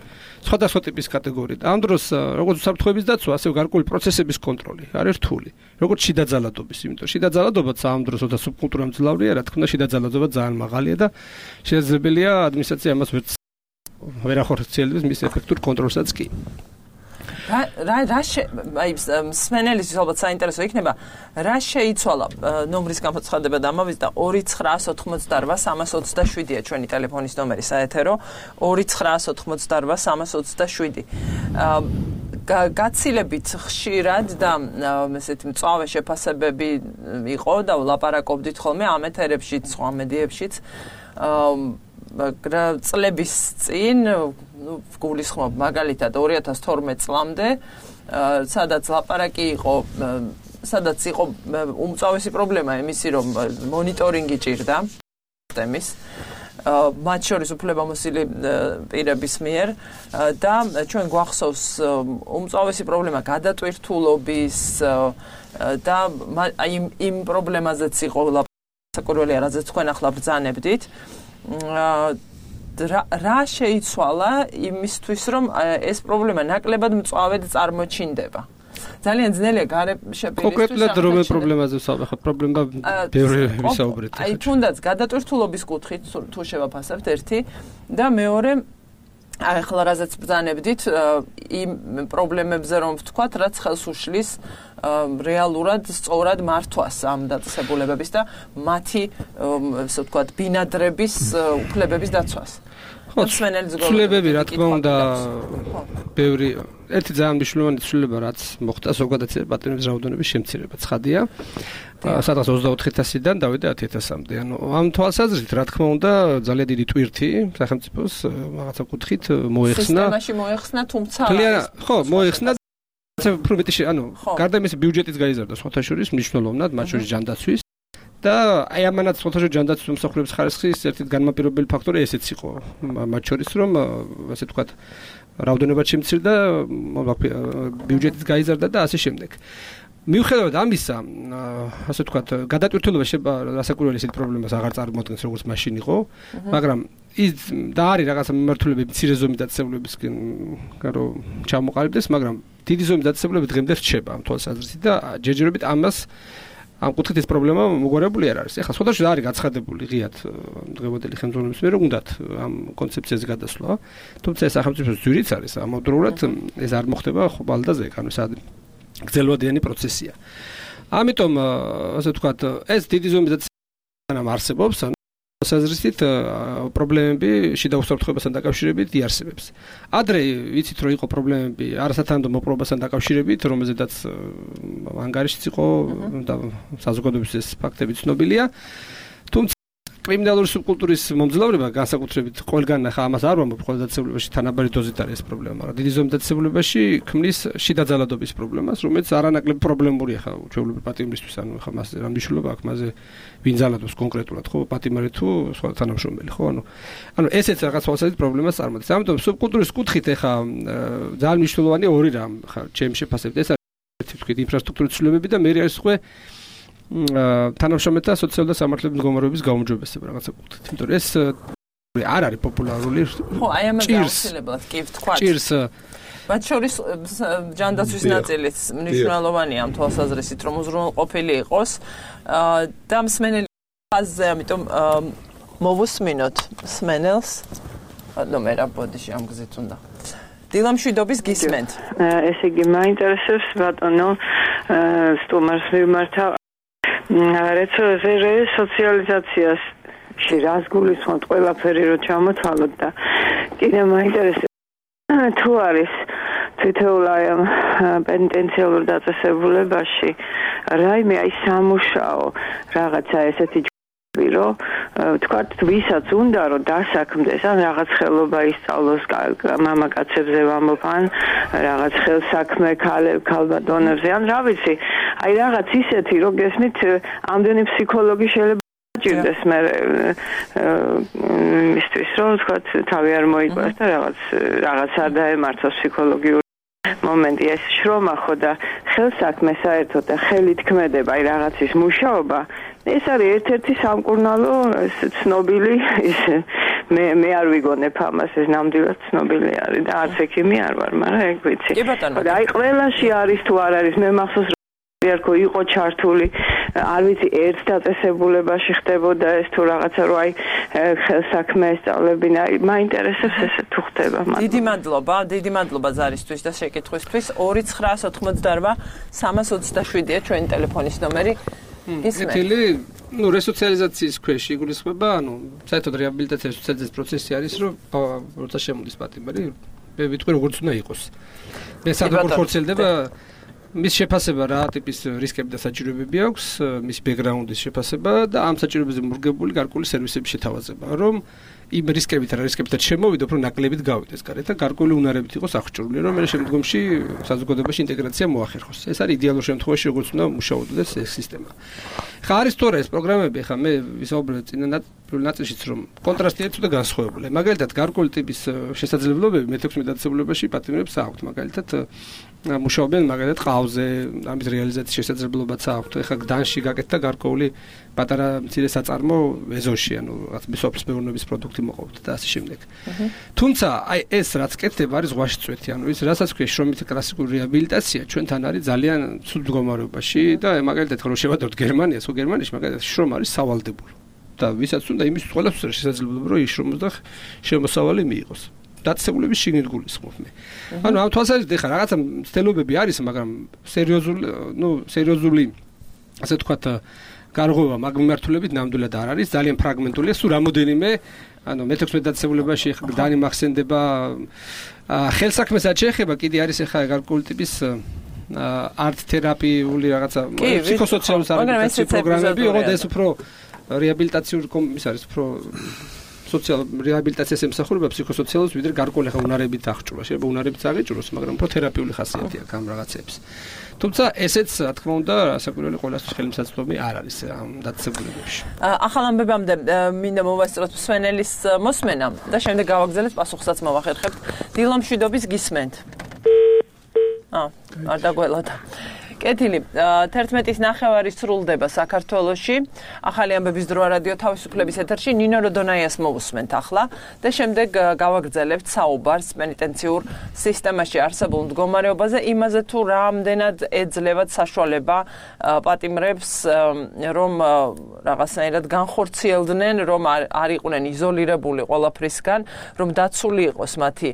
სხვადასხვა ტიპის კატეგორია. ამ დროს როგორც უსაფრთხოების დაცვა, ასევე გარკვეული პროცესების კონტროლი არის რთული. როგორც შიდა ძალადობის, იმიტომ შიდა ძალადობაც ამ დროს ოდა სუბკულტურა მძლავრია, რა თქმა უნდა, შიდა ძალადობა ძალიან მაღალია და შესაძლებელია ადმინისტრაცია ამას ვერ ვერ ახორციელებს მის ეფექტურ კონტროლსაც კი. რა რა რა აი სმენელის ალბათ საინტერესო იქნება რა შეიცვალა ნომრის გამოცხადება და ამავე და ორი ცხრაას ოთხმოცდაორვა სამას ოცდაშვიდია ჩვენი ტელეფონის ნომერი საეთერო ორი ცხრაას ოთხმოცდაორვა სამას ოცდაშვიდი გაცილებით ხშირად და ესეთი მწვავე შეფასებები იყო და ვლაპარაკობდით ხოლმე ამ ეთერებშიც სხვა მედიებშიც წლების წინ ну გულისხმობ მაგალითად ორი ათას თორმეტ წლამდე სადაც ლაპარაკი იყო სადაც იყო უმწავესი პრობლემა იმისი რომ მონიტორინგი ჭირდა სისტემის მათ შორის უფლებამოსილი პირების მიერ და ჩვენ გვახსოვს უმწავესი პრობლემა გადატვირთულობის და აი იმ პრობლემაზეც იყო ლაპარაკი რაზეც თქვენ ახლა ბრძანებდით რა შეიცვალა იმისთვის რომ ეს პრობლემა ნაკლებად მწვავედ წარმოჩინდება ძალიან ძნელია გარეშეპირისთვის კონკრეტულად რომელ პრობლემაზე ვსაუბრობთ პრობლემა ბევრი ვისაუბრეთ აი თუნდაც გადატვირთულობის კუთხით თუ შევაფასებთ ერთი და მეორე აი ახლა რაზეც ბრძანებდით იმ პრობლემებზე რომ ვთქვათ რაც ხელს უშლის რეალურად სწორად მართვას ამ დაწესებულებების და მათი ასე ვთქვათ ბინადრების უფლებების დაცვას. ხო, ცვლილებები რა თქმა უნდა ბევრი ერთი ძალიან მნიშვნელოვანი ცვლილება რაც მოხდა ზოგადად პატიმრების რაოდენობის შემცირება ცხადია. სადღაც ოცდაოთხ ათასიდან დავიდა ათი ათასამდე. ანუ ამ თვალსაზრისით რა თქმა უნდა ძალიან დიდი ტვირთი სახელმწიფოს რაღაცა კუთხით მოეხსნა. სისტემაში მოეხსნა თუმცა ხო, მოეხსნა უფრო მეტი ანუ გარდა იმისა ბიუჯეტიც გაიზარდა სხვათა შორის მნიშვნელოვნად მათ შორის ჯანდაცვის და აი ამანაც სხვათა შორის ჯანდაცვის მომსახურების ხარისხის ერთ-ერთი განმაპირობებელი ფაქტორი ესეც იყო მათ შორის რომ ასე ვთქვათ რაოდენობა შემცირდა ბიუჯეტიც გაიზარდა და ასე შემდეგ მიუხედავად ამისა ასე ვთქვათ გადატვირთულობა რასაკვირველი ისეთ პრობლემას აღარ წარმოადგენს როგორც მაშინ იყო მაგრამ ის და არის რაღაცა მიმართულებით მცირე ზომის დაწესებულებისგან რომ ჩამოყალიბდეს მაგრამ დიდი ზომის დაწესებულება დღემდე რჩება ამ თვალსაზრისით და ჯერჯერობით ამას ამ კუთხით ეს პრობლემა მოგვარებული არ არის. ეხლა სხვადასხვა არის გაცხადებული ღიად დღევანდელი ხელმძღვანელობის მიერ უნდათ ამ კონცეფციაზე გადასვლა. თუმცა ეს სახელმწიფოს ძვირიც არის, ამავდროულად ეს არ მოხდება ხვალდაზე, ანუ ეს გრძელვადიანი პროცესია. ამიტომ ასე ვთქვათ, ეს დიდი ზომის ამ არსებობს, ანუ საზრისით პრობლემები შიდა უსაფრთხოებასთან დაკავშირებით იარსებებს. ადრე ვიცით რომ იყო პრობლემები არასათანადო მოპყრობასთან დაკავშირებით, რომელზედაც ანგარიშიც იყო და საზოგადოების ეს ფაქტები ცნობილია. თუმცა კრიმინალური სუბკულტურის მომძლავრება განსაკუთრებით ყველგან ახლა ამას არ ვამბობ, ყველა დაწესებულებაში თანაბარი დოზით არის ეს პრობლემა, მაგრამ დიდი ზომის დაწესებულებაში ქმნის შიდა ძალადობის პრობლემას, რომელიც არანაკლებ პრობლემურია ხა ჩვეულებრივ პატიმრისთვის, ანუ ხა მას რა მნიშვნელობა აქვს მასზე ვინ ძალადობს კონკრეტულად, ხო, პატიმარი თუ სხვა თანამშრომელი, ხო, ანუ ანუ ესეც რაღაც სხვადასხვა პრობლემას წარმოადგენს. ამიტომ სუბკულტურის კუთხით ახლა ძალიან მნიშვნელოვანი ორი რამ ხა ჩემს შეფასებით ეს არის თქვით ინფრასტრუქტურის ცვლილებები და მე არის სხვა თანამშრომელთა სოციალური და სამართლებრივი მდგომარეობის გაუმჯობესება რაღაცა კუთხით. იმიტომ რომ ეს არ არის პოპულარული. ხო, აი ამაზე აუცილებლად კი ვთქვათ. ჭირს მათ შორის ჯანდაცვის ნაწილიც მნიშვნელოვანია ამ თვალსაზრისით, რომ უზრუნველყოფილი იყოს და მსმენელი ხაზზე, ამიტომ მოვუსმინოთ მსმენელს. ნუ მე რა ბოდიში ამ გზით უნდა. დილამშვიდობის გისმენთ. ესე იგი, მაინტერესებს ბატონო სტუმარს მიმართა რესოციალიზაციაში რას გულისხმობთ ყველაფერი რო ჩამოთვალოთ და კიდე მაინტერესებს თუ არის თითოეულ აი ამ პენიტენციალურ დაწესებულებაში რაიმე აი სამუშაო რაღაცა ესეთი რომ თქვათ ვისაც უნდა რომ დასაქმდეს ან რაღაც ხელობა ისწავლოს მამაკაცებზე ვამბობ ან რაღაც ხელსაქმე ქალბატონებზე ან რა ვიცი აი რაღაც ისეთი რომ გესმით ამდენი ფსიქოლოგი შეიძლება ჭირდეს მე მისთვის რომ თქვათ თავი არ მოიყვას და რაღაც რაღაც არ დაემართოს ფსიქოლოგიური მომენტი ეს შრომა ხო და ხელსაქმე საერთოდ და ხელით ქმედება აი რაღაცის მუშაობა ეს არის ერთ-ერთი სამკურნალო ეს ცნობილი ის მე მე არ ვიგონებ ამას ეს ნამდვილად ცნობილი არის და არც ექიმი არ ვარ მაგრამ ეგ ვიცი და აი ყველაში არის თუ არ არის მე მახსოვს ერქო იყო ჩართული არ ვიცი ერთ დაწესებულებაში ხდებოდა ეს თუ რაღაცა რო აი ხელსაქმე ესწავლებინა მაინტერესებს ეს თუ ხდება დიდი მადლობა დიდი მადლობა ზარისთვის და შეკითხვისთვის ორი ცხრა ოცდაოთხმოცდაორვა სამას ოცდაშვიდია ჩვენი ტელეფონის ნომერი ეთილი ну რესოციალიზაციის ქვეშ იგულისხმება ანუ საერთოდ რეაბილიტაციის სოციალიზაციის პროცესი არის რომ როცა შემოდის პატიმარი მე ვიტყვი როგორც უნდა იყოს მე სადღაც ხორცელდება მის შეფასება რა ტიპის რისკები და საჭიროებები აქვს მის ბექგრაუნდის შეფასება და ამ საჭიროებებზე მორგებული გარკვეული სერვისების შეთავაზება რომ იმ რისკებით რა რისკებთან შემოვიდო უფრო ნაკლებით გავიდეს გარეთ და გარკვეული უნარებით იყოს აღჭურვილი რომ მე შემდგომში საზოგადოებაში ინტეგრაცია მოახერხოს ეს არის იდეალურ შემთხვევაში როგორც უნდა მუშაობდეს ეს სისტემა ხა არის თორე ეს პროგრამები ხა მე ვისაუბრე წინა ნაწილშიც რომ კონტრასტი ერთო და განსხვავებული მაგალითად გარკვეული ტიპის შესაძლებლობები მეთექვსმეტ დაწესებულებაში პატიმრებს აქვთ მაგალითად მუშაობენ მაგალითად ყავზე ამის რეალიზაციის შესაძლებლობაც აქვთ ეხლა გდანში გაკეთდა გარკვეული პატარა მცირე საწარმო ეზოში ანუ რაღაც მსოფლის მეურნეობის პროდუქტი მოყავთ და ასე შემდეგ თუმცა აი ეს რაც კეთდება არის ზღვაში წვეთი ანუ ის რასაც ქვია შრომით კლასიკური რეაბილიტაცია ჩვენთან არის ძალიან ცუდ მდგომარეობაში და მაგალითად რო შევადოთ გერმანიას ხო გერმანიაში მაგალითად შრომა არის სავალდებულო და ვისაც უნდა იმის ყველას შესაძლებლობა რომ იშრომოს და შემოსავალი მიიღოს დაწესებულების შიგნით გულისხმობ მე. ანუ ამ თვალსაზრისით ეხლა რაღაცა მცდელობები არის, მაგრამ სერიოზული, ну, სერიოზული ასე ვთქვათ, გარღვევა მაგ მიმართულებით ნამდვილად არ არის, ძალიან ფრაგმენტულია, სულ რამოდენიმე, ანუ მეთექვსმეტ დაწესებულებაში ეხლა გდანი მახსენდება, ხელსაქმესაც შეეხება, კიდე არის ეხლა გარკვეული ტიპის არტ თერაპიული რაღაცა ფსიქოსოციალური რეაბილიტაციის პროგრამები, ოღონდ ეს უფრო რეაბილიტაციური ის არის, უფრო სოციალურ რეაბილიტაციას ემსახურება ფსიქოსოციალურს ვიდრე გარკვეული ხა უნარებით აღჭურვა. შეიძლება უნარებით აღიჭუროს, მაგრამ უფრო თერაპიული ხასიათი აქვს ამ რაღაცებს. თუმცა ესეც, რა თქმა უნდა, საკურველი ყოველთვის ხელმისაწვდომი არ არის ამ დაწესებულებებში. ახალ ამბებამდე მინდა მოვასწროთ მსმენელის მოსმენა და შემდეგ გავაგზავნეთ პასუხსაც მოვახერხებთ. დილამშვიდობის გისმენთ. აა, არ დაგველოდა. კეთილი, თერთმეტის ნახევარი სრულდება საქართველოში. ახალი ამბების დრო რადიო თავისუფლების ეთერში ნინო როდონაიას მოვუსმენთ ახლა და შემდეგ გავაგრძელებთ საუბარს პენიტენციურ სისტემაში არსებულ მდგომარეობაზე, იმაზე თუ რამდენად ეძლევათ საშუალება პატიმრებს რომ რაღაცნაირად განხორციელდნენ, რომ არ იყვნენ იზოლირებული ყველაფრისგან, რომ დაცული იყოს მათი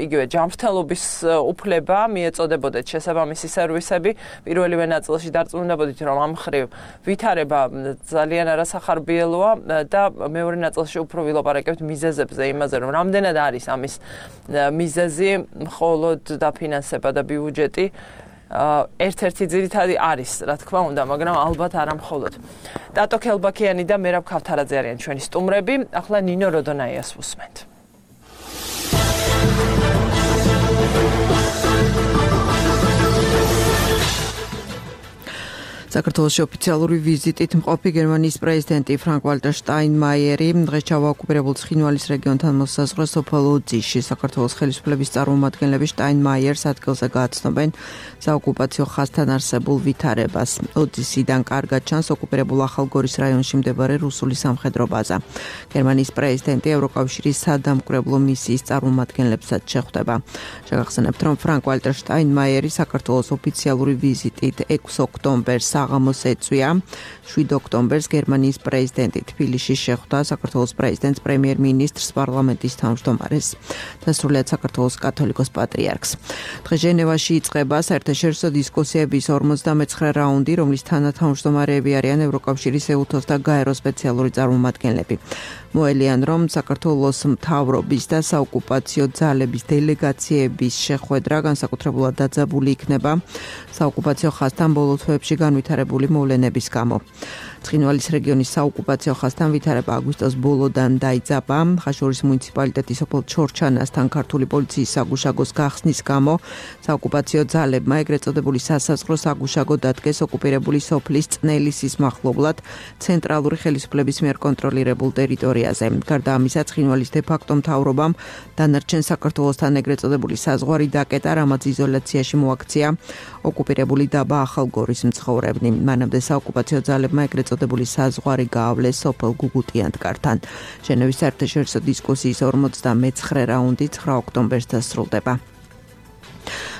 იგივე ჯანმრთელობის უფლება, მიეწოდებოდეთ შესაბამისი სერვისები. პირველივე ნაწილში დარწმუნებოდით, რომ ამ მხრივ ვითარება ძალიან არასახარბიელოა და მეორე ნაწილში უფრო ვილაპარაკებთ მიზეზებზე, იმაზე, რომ რამდენად არის ამის მიზეზი, მხოლოდ დაფინანსება და ბიუჯეტი ერთ-ერთი ძირითადი არის, რა თქმა უნდა, მაგრამ ალბათ არა მხოლოდ. ტატო ქელბაქიანი და მერაბ ქავთარაძე არიან ჩვენი სტუმრები. ახლა ნინო როდონაიას ვუსმენთ. საქართველოში ოფიციალური ვიზიტით მყოფი გერმანიის პრეზიდენტი ფრანკ-ვალტერ შტაინმაიერი დღეს ჩავაოკუპირებულ ცხინვალის რეგიონთან მოსაზღვრე სოფელ ოძისში საქართველოს ხელისუფლების წარმომადგენლები შტაინმაიერს ადგილზე გააცნობენ საოკუპაციო ხაზთან არსებულ ვითარებას. ოძისიდან კარგად ჩანს ოკუპირებულ ახალგორის რაიონში მდებარე რუსული სამხედრო ბაზა. გერმანიის პრეზიდენტი ევროკავშირის სადამკვირვებლო მისიის წარმომადგენლებსაც შეხვდება. შეგახსენებთ, რომ ფრანკ-ვალტერ შტაინმაიერი საქართველოს ოფიციალური ვიზიტით ექვსი ოქტომბერს საღამოს ეწვია. შვიდ ოქტომბერს გერმანიის პრეზიდენტი თბილისში შეხვდა საქართველოს პრეზიდენტს, პრემიერ-მინისტრს, პარლამენტის თავმჯდომარეს და სრულიად საქართველოს კათოლიკოს პატრიარქს. დღეს ჟენევაში იწყება საერთაშორისო დისკუსიების ორმოცდამეცხრე რაუნდი, რომლის თანათავმჯდომარეები არიან ევროკავშირის, ეუთოს და გაეროს სპეციალური წარმომადგენლები. მოელიან, რომ საქართველოს მთავრობის და საოკუპაციო ძალების დელეგაციების შეხვედრა განსაკუთრებულად დაძაბული იქნება საოკუპაციო ხაზთან ბოლო თვეებში განვითარებული მოვლენების გამო. ცხინვალის რეგიონის საოკუპაციო ხაზთან ვითარება აგვისტოს ბოლოდან დაიძაბა. ხაშურის მუნიციპალიტეტის სოფელ ჩორჩანასთან ქართული პოლიციის საგუშაგოს გახსნის გამო საოკუპაციო ძალებმა ეგრეთ წოდებული სასაზღვრო საგუშაგო დადგეს ოკუპირებული სოფლის წნელისის მახლობლად ცენტრალური ხელისუფლების მიერ კონტროლირებულ ტერიტორიაზე. გარდა ამისა, ცხინვალის დე-ფაქტო მთავრობამ დანარჩენ საქართველოსთან ეგრეთ წოდებული საზღვარი დაკეტა, რამაც იზოლაციაში მოაქცია ოკუპირებული დაბა ახალგორის მცხოვრებნი. მანამდე საოკუპაციო ძალებმა ეგრეთ წოდებული საზღვარი გაავლეს სოფელ გუგუტიანთკართან. ჟენევის საერთაშორისო დისკუსიის ორმოცდამეცხრე რაუნდი ცხრა ოქტომბერს დასრულდება.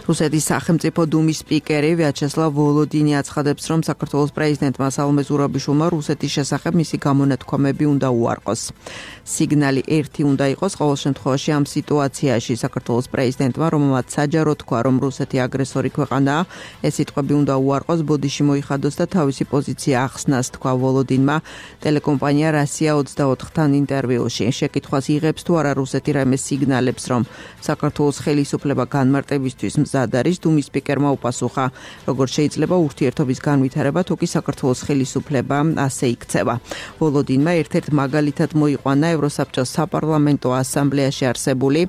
რუსეთის სახელმწიფო დუმის სპიკერი ვიაჩესლავ ვოლოდინი აცხადებს, რომ საქართველოს პრეზიდენტმა სალომე ზურაბიშვილმა რუსეთის შესახებ მისი გამონათქვამები უნდა უარყოს. სიგნალი ერთი უნდა იყოს ყოველ შემთხვევაში ამ სიტუაციაში. საქართველოს პრეზიდენტმა, რომელმაც საჯარო თქვა, რომ რუსეთი აგრესორი ქვეყანაა, ეს სიტყვები უნდა უარყოს, ბოდიში მოიხადოს და თავისი პოზიცია ახსნას, თქვა ვოლოდინმა ტელეკომპანია რასია ოცდაოთხთან ინტერვიუში. შეკითხვას იღებს თუ არა რუსეთი რაიმე სიგნალებს, რომ საქართველოს ხელისუფლება განმარტებისთვის არის დუმის სპიკერმა უპასუხა, როგორც შეიძლება ურთიერთობის განვითარება, თუ კი საქართველოს ხელისუფლება ასე იქცევა. ვოლოდინმა ერთ-ერთ მაგალითად მოიყვანა ევროსაბჭოს საპარლამენტო ასამბლეაში არსებული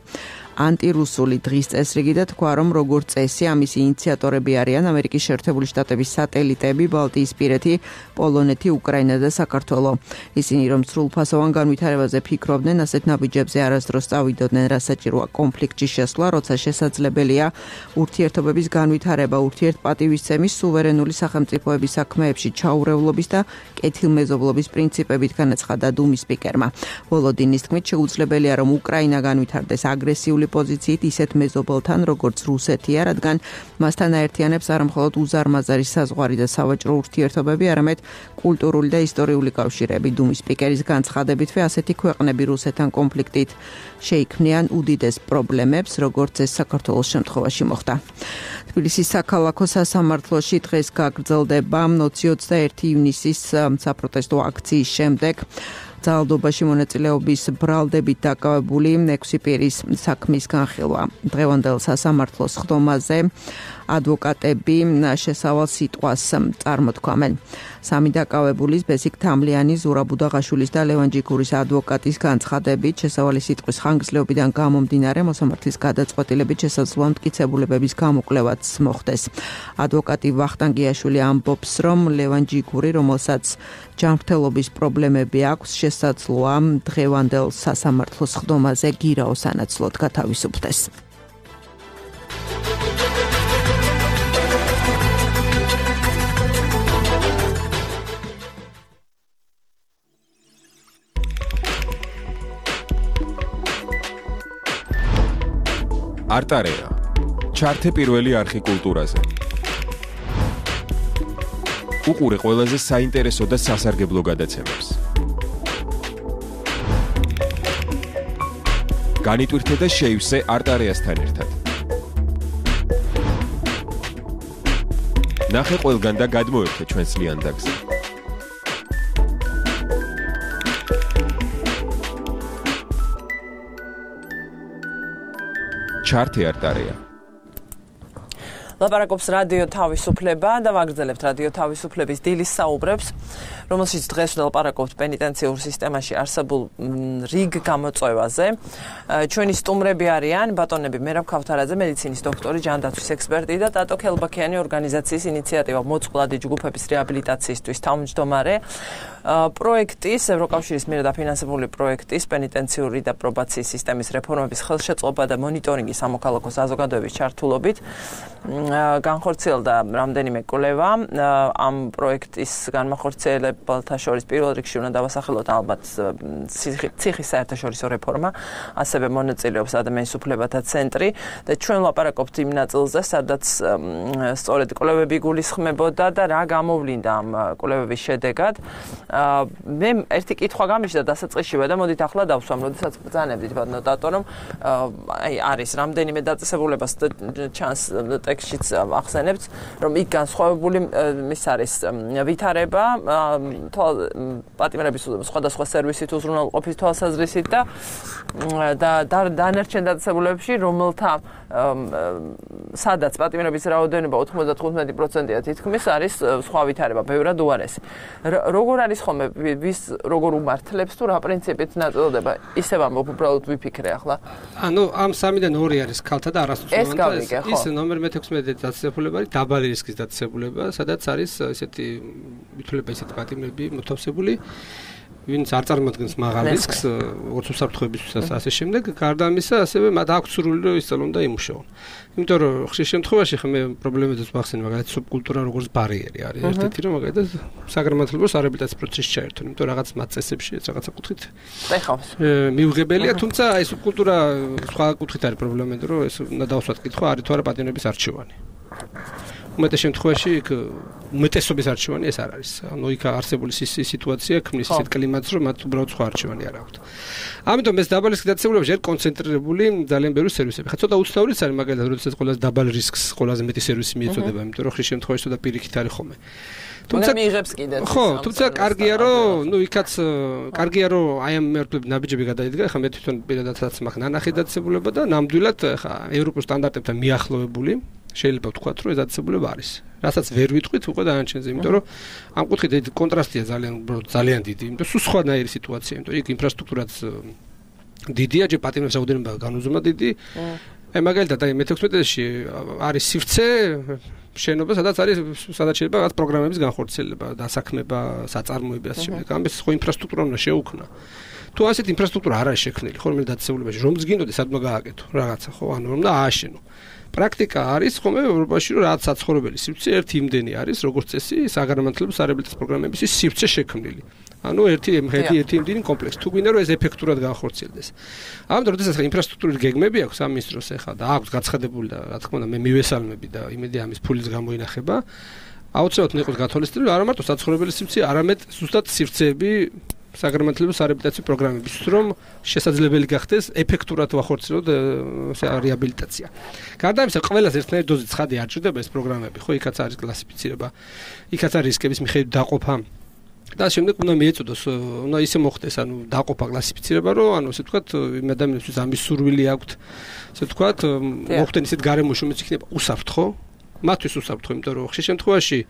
ანტირუსული დღის წესრიგი და თქვა, რომ როგორც წესი ამის ინიციატორები არიან ამერიკის შეერთებული შტატების სატელიტები, ბალტიისპირეთი, პოლონეთი, უკრაინა და საქართველო. ისინი რომ სრულფასოვან განვითარებაზე ფიქრობდნენ, ასეთ ნაბიჯებზე არასდროს წავიდოდნენ, რა საჭიროა კონფლიქტში შესვლა, როცა შესაძლებელია ურთიერთობების განვითარება, ურთიერთპატივისცემის, სუვერენული სახელმწიფოების საქმეებში ჩაურევლობის და კეთილმეზობლობის პრინციპებით განაცხადა დუმის სპიკერმა. ვოლოდინის თქმით, შეუძლებელია რომ უკრაინა განვითარდეს აგრესიული პოზიციით ისეთ მეზობელთან, როგორც რუსეთია, რადგან მასთან აერთიანებს არა მხოლოდ უზარმაზარი საზღვარი და სავაჭრო ურთიერთობები, არამედ კულტურული და ისტორიული კავშირები. დუმის სპიკერის განცხადებითვე ასეთი ქვეყნები რუსეთთან კონფლიქტით შეიქმნიან უდიდეს პრობლემებს, როგორც ეს საქართველოს შემთხვევაში მოხდა. თბილისის საქალაქო სასამართლოში დღეს გაგრძელდება ოცდაერთი ივნისის საპროტესტო აქციის შემდეგ ძალადობაში მონაწილეობის ბრალდებით დაკავებული ექვსი პირის საქმის განხილვა. დღევანდელ სასამართლოს ხდომაზე ადვოკატები შესავალ სიტყვას წარმოთქვამენ. სამი დაკავებულის ბესიკ თამლიანი, ზურა ბუდაღაშვილის და ლევან ჯიქურის ადვოკატის განცხადებით შესავალი სიტყვის ხანგრძლივობიდან გამომდინარე მოსამართლის გადაწყვეტილებით შესაძლოა მტკიცებულებების გამოკვლევაც მოხდეს. ადვოკატი ვახტანგიაშვილი ამბობს, რომ ლევან ჯიქური, რომელსაც ჯანმრთელობის პრობლემები აქვს, შესაძლოა დღევანდელ სასამართლოს ხდომაზე გირაო სანაცვლოდ გათავისუფლდეს. არტარეა. ჩართე პირველი არხი კულტურაზე. უყურე ყველაზე საინტერესო და სასარგებლო გადაცემებს. განიტვირთე და შეივსე არტარეასთან ერთად. ნახე ყველგან და გადმოერთე ჩვენს ლიანდაგზე. ჩართე არტარეა. ლაპარაკობს რადიო თავისუფლება და ვაგრძელებთ რადიო თავისუფლების დილის საუბრებს, რომელშიც დღეს ვლაპარაკობთ პენიტენციურ სისტემაში არსებულ რიგ გამოწვევაზე. ჩვენი სტუმრები არიან ბატონები მერაბ ქავთარაძე, მედიცინის დოქტორი, ჯანდაცვის ექსპერტი და ტატო ქელბაქიანი ორგანიზაციის ინიციატივა მოწყვლადი ჯგუფების რეაბილიტაციისთვის თავმჯდომარე. პროექტის ევროკავშირის მიერ დაფინანსებული პროექტის პენიტენციური და პრობაციის სისტემის რეფორმების ხელშეწყობა და მონიტორინგი სამოქალაქო საზოგადოების ჩართულობით განხორციელდა რამდენიმე კვლევა. ამ პროექტის განმახორციელებელთა შორის პირველ რიგში უნდა დავასახელოთ ალბათ ციხის საერთაშორისო რეფორმა, ასევე მონაწილეობს ადამიანის უფლებათა ცენტრი და ჩვენ ვლაპარაკობთ იმ ნაწილზე, სადაც სწორედ კვლევები გულისხმებოდა და რა გამოვლინდა ამ კვლევების შედეგად. მე ერთი კითხვა გამიშდა დასაწყისშივე და მოდით ახლა დავსვამ, როდესაც ბრძანებდით ბატონო ტატო, რომ აი არის რამდენიმე დაწესებულებას ჩანს ტექსტშიც ახსენებთ, რომ იქ განსხვავებული ის არის ვითარება პატიმრების სხვადასხვა სერვისით უზრუნველყოფის თვალსაზრისით და და დანარჩენ დაწესებულებებში, რომელთა სადაც პატიმრების რაოდენობა ოთხმოცდათხუთმეტი პროცენტია თითქმის არის სხვა ვითარება, ბევრად უარესი. როგორ არის ხოლმე ვის როგორ უმართლებს თუ რა პრინციპით ნაწილდება? ისევ ამბობ უბრალოდ ვიფიქრე ახლა. ანუ ამ სამიდან ორი არის ქალთა და არასწორმოწმეთა. ის ნომერ მეთექვსმეტე დაწესებულება არის დაბალი რისკის დაწესებულება, სადაც არის ესეთი ვითვლება ესეთი პატიმრები მოთავსებული, ვინც არ წარმოადგენს მაღალ რისკს ოც უსაფრთხოებისთვისაც ასე შემდეგ. გარდა ამისა, ასევე მათ აქვს სურვილი რომ ისწავლონ და იმუშაონ. იმიტომ რომ ხშირ შემთხვევაში მე პრობლემებიც ვახსენე, მაგალითად სუბკულტურა როგორც ბარიერი არის. ერთ-ერთი რომ მაგალითად საგრამატლებლო სარეაბილიტაციო პროცესში ჩაერთონ, იმიტომ რაღაც მათ წესებში რაღაცა კუთხით ეხავს. მიუღებელია, თუმცა აი სუბკულტურა სხვა კუთხით არის პრობლემა, იმიტომ რომ ეს უნდა დავსვათ კითხვა არის თუ არა პატიმრების არჩევანი. უმეტეს შემთხვევაში იქ უმეტესობის არჩევანი ეს არ არის. ანუ იქ არსებული სიტუაცია ქმნის ისეთ კლიმატს, რომ მათ უბრალოდ სხვა არჩევანი არ აქვთ. ამიტომ ეს დაბალი რისკის დაწესებულებაში არის კონცენტრირებული ძალიან ბევრი სერვისები. ხა ცოტა უცნაურიც არის მაგალითად, როდესაც ყველაზე დაბალი რისკს ყველაზე მეტი სერვისი მიეწოდება, იმიტომ რომ ხშირ შემთხვევაში ცოტა პირიქით არის ხოლმე. თუმცა მიიღებს კიდე. ხო, თუმცა კარგია რომ, ნუ იქაც კარგია რომ აი ამ მერტლები ნაბიჯები გადაიდგა, ხა მე თვითონ პირადადაც მაქვს ნანახი დაწესებულება და ნამდვილად ხა ევროპულ სტანდარტებთან მიახლოვებული შეიძლება ვთქვათ, რომ ეს დაწესებულება არის. რასაც ვერ ვიტყვით უკვე დანარჩენზე, იმიტომ რომ ამ კუთხით ეს კონტრასტია ძალიან ძალიან დიდი, იმიტომ რომ სხვანაირი სიტუაცია, იმიტომ რომ იქ ინფრასტრუქტურაც დიდია, ჯერ პატიმრების რაოდენობა განუზომად დიდი. აი მაგალითად აი მეთექვსმეტეში არის სივრცე შენობა, სადაც არის სადაც შეიძლება რაღაც პროგრამების განხორციელება, დასაქმება, საწარმოები ასე შემდეგ. ამის ხო ინფრასტრუქტურა უნდა შეუქმნა. თუ ასეთ ინფრასტრუქტურა არ არის შექმნილი, ხოლმე დაწესებულებაში, რომც გინდოდეს სადმა გააკეთო რაღაცა, ხო, ანუ რომ და ააშენო. პრაქტიკა არის ხოლმე ევროპაში, რომ რაღაც საცხოვრებელი სივრცე ერთი იმდენი არის, როგორც წესი, საგანმანათლებლო სარეაბილიტაციო პროგრამების სივრცე შექმნილი. ანუ ერთი ერთი ერთი იმდენი კომპლექსი. თუ გვინდა რომ ეს ეფექტურად განხორციელდეს. ამიტომ როდესაც ინფრასტრუქტურის გეგმები აქვს ამ მინისტროს ეხლა და აქვს გაცხადებული და რა თქმა უნდა მე მივესალმები და იმედია ამის ფულის გამოინახება, აუცილებლად უნდა იყოს გათვალისწინებული არა მარტო საცხოვრებელი სივრცე, არამედ ზუსტად სივრცეები საგანმანათლებლო სარეაბილიტაციო პროგრამების, რომ შესაძლებელი გახდეს ეფექტურად ვახორციელოთ რეაბილიტაცია. გარდა ამისა, ყველას ერთნაირი დოზით ცხადი არ ჭირდება ეს პროგრამები, ხო, იქაც არის კლასიფიცირება, იქაც არის რისკების მიხედვით დაყოფა. და შემდეგ უნდა მიეწოდოს, უნდა ისე მოხდეს, ანუ დაყოფა კლასიფიცირება, რომ ანუ ასე ვთქვათ, იმ ადამიანებისთვის ამის სურვილი აქვთ, ასე ვთქვათ, მოხდნენ ისეთ გარემოში, რომელიც იქნება უსაფრთხო, მათთვის უსაფრთხო, იმიტომ რომ ხშირ შემთხვევაში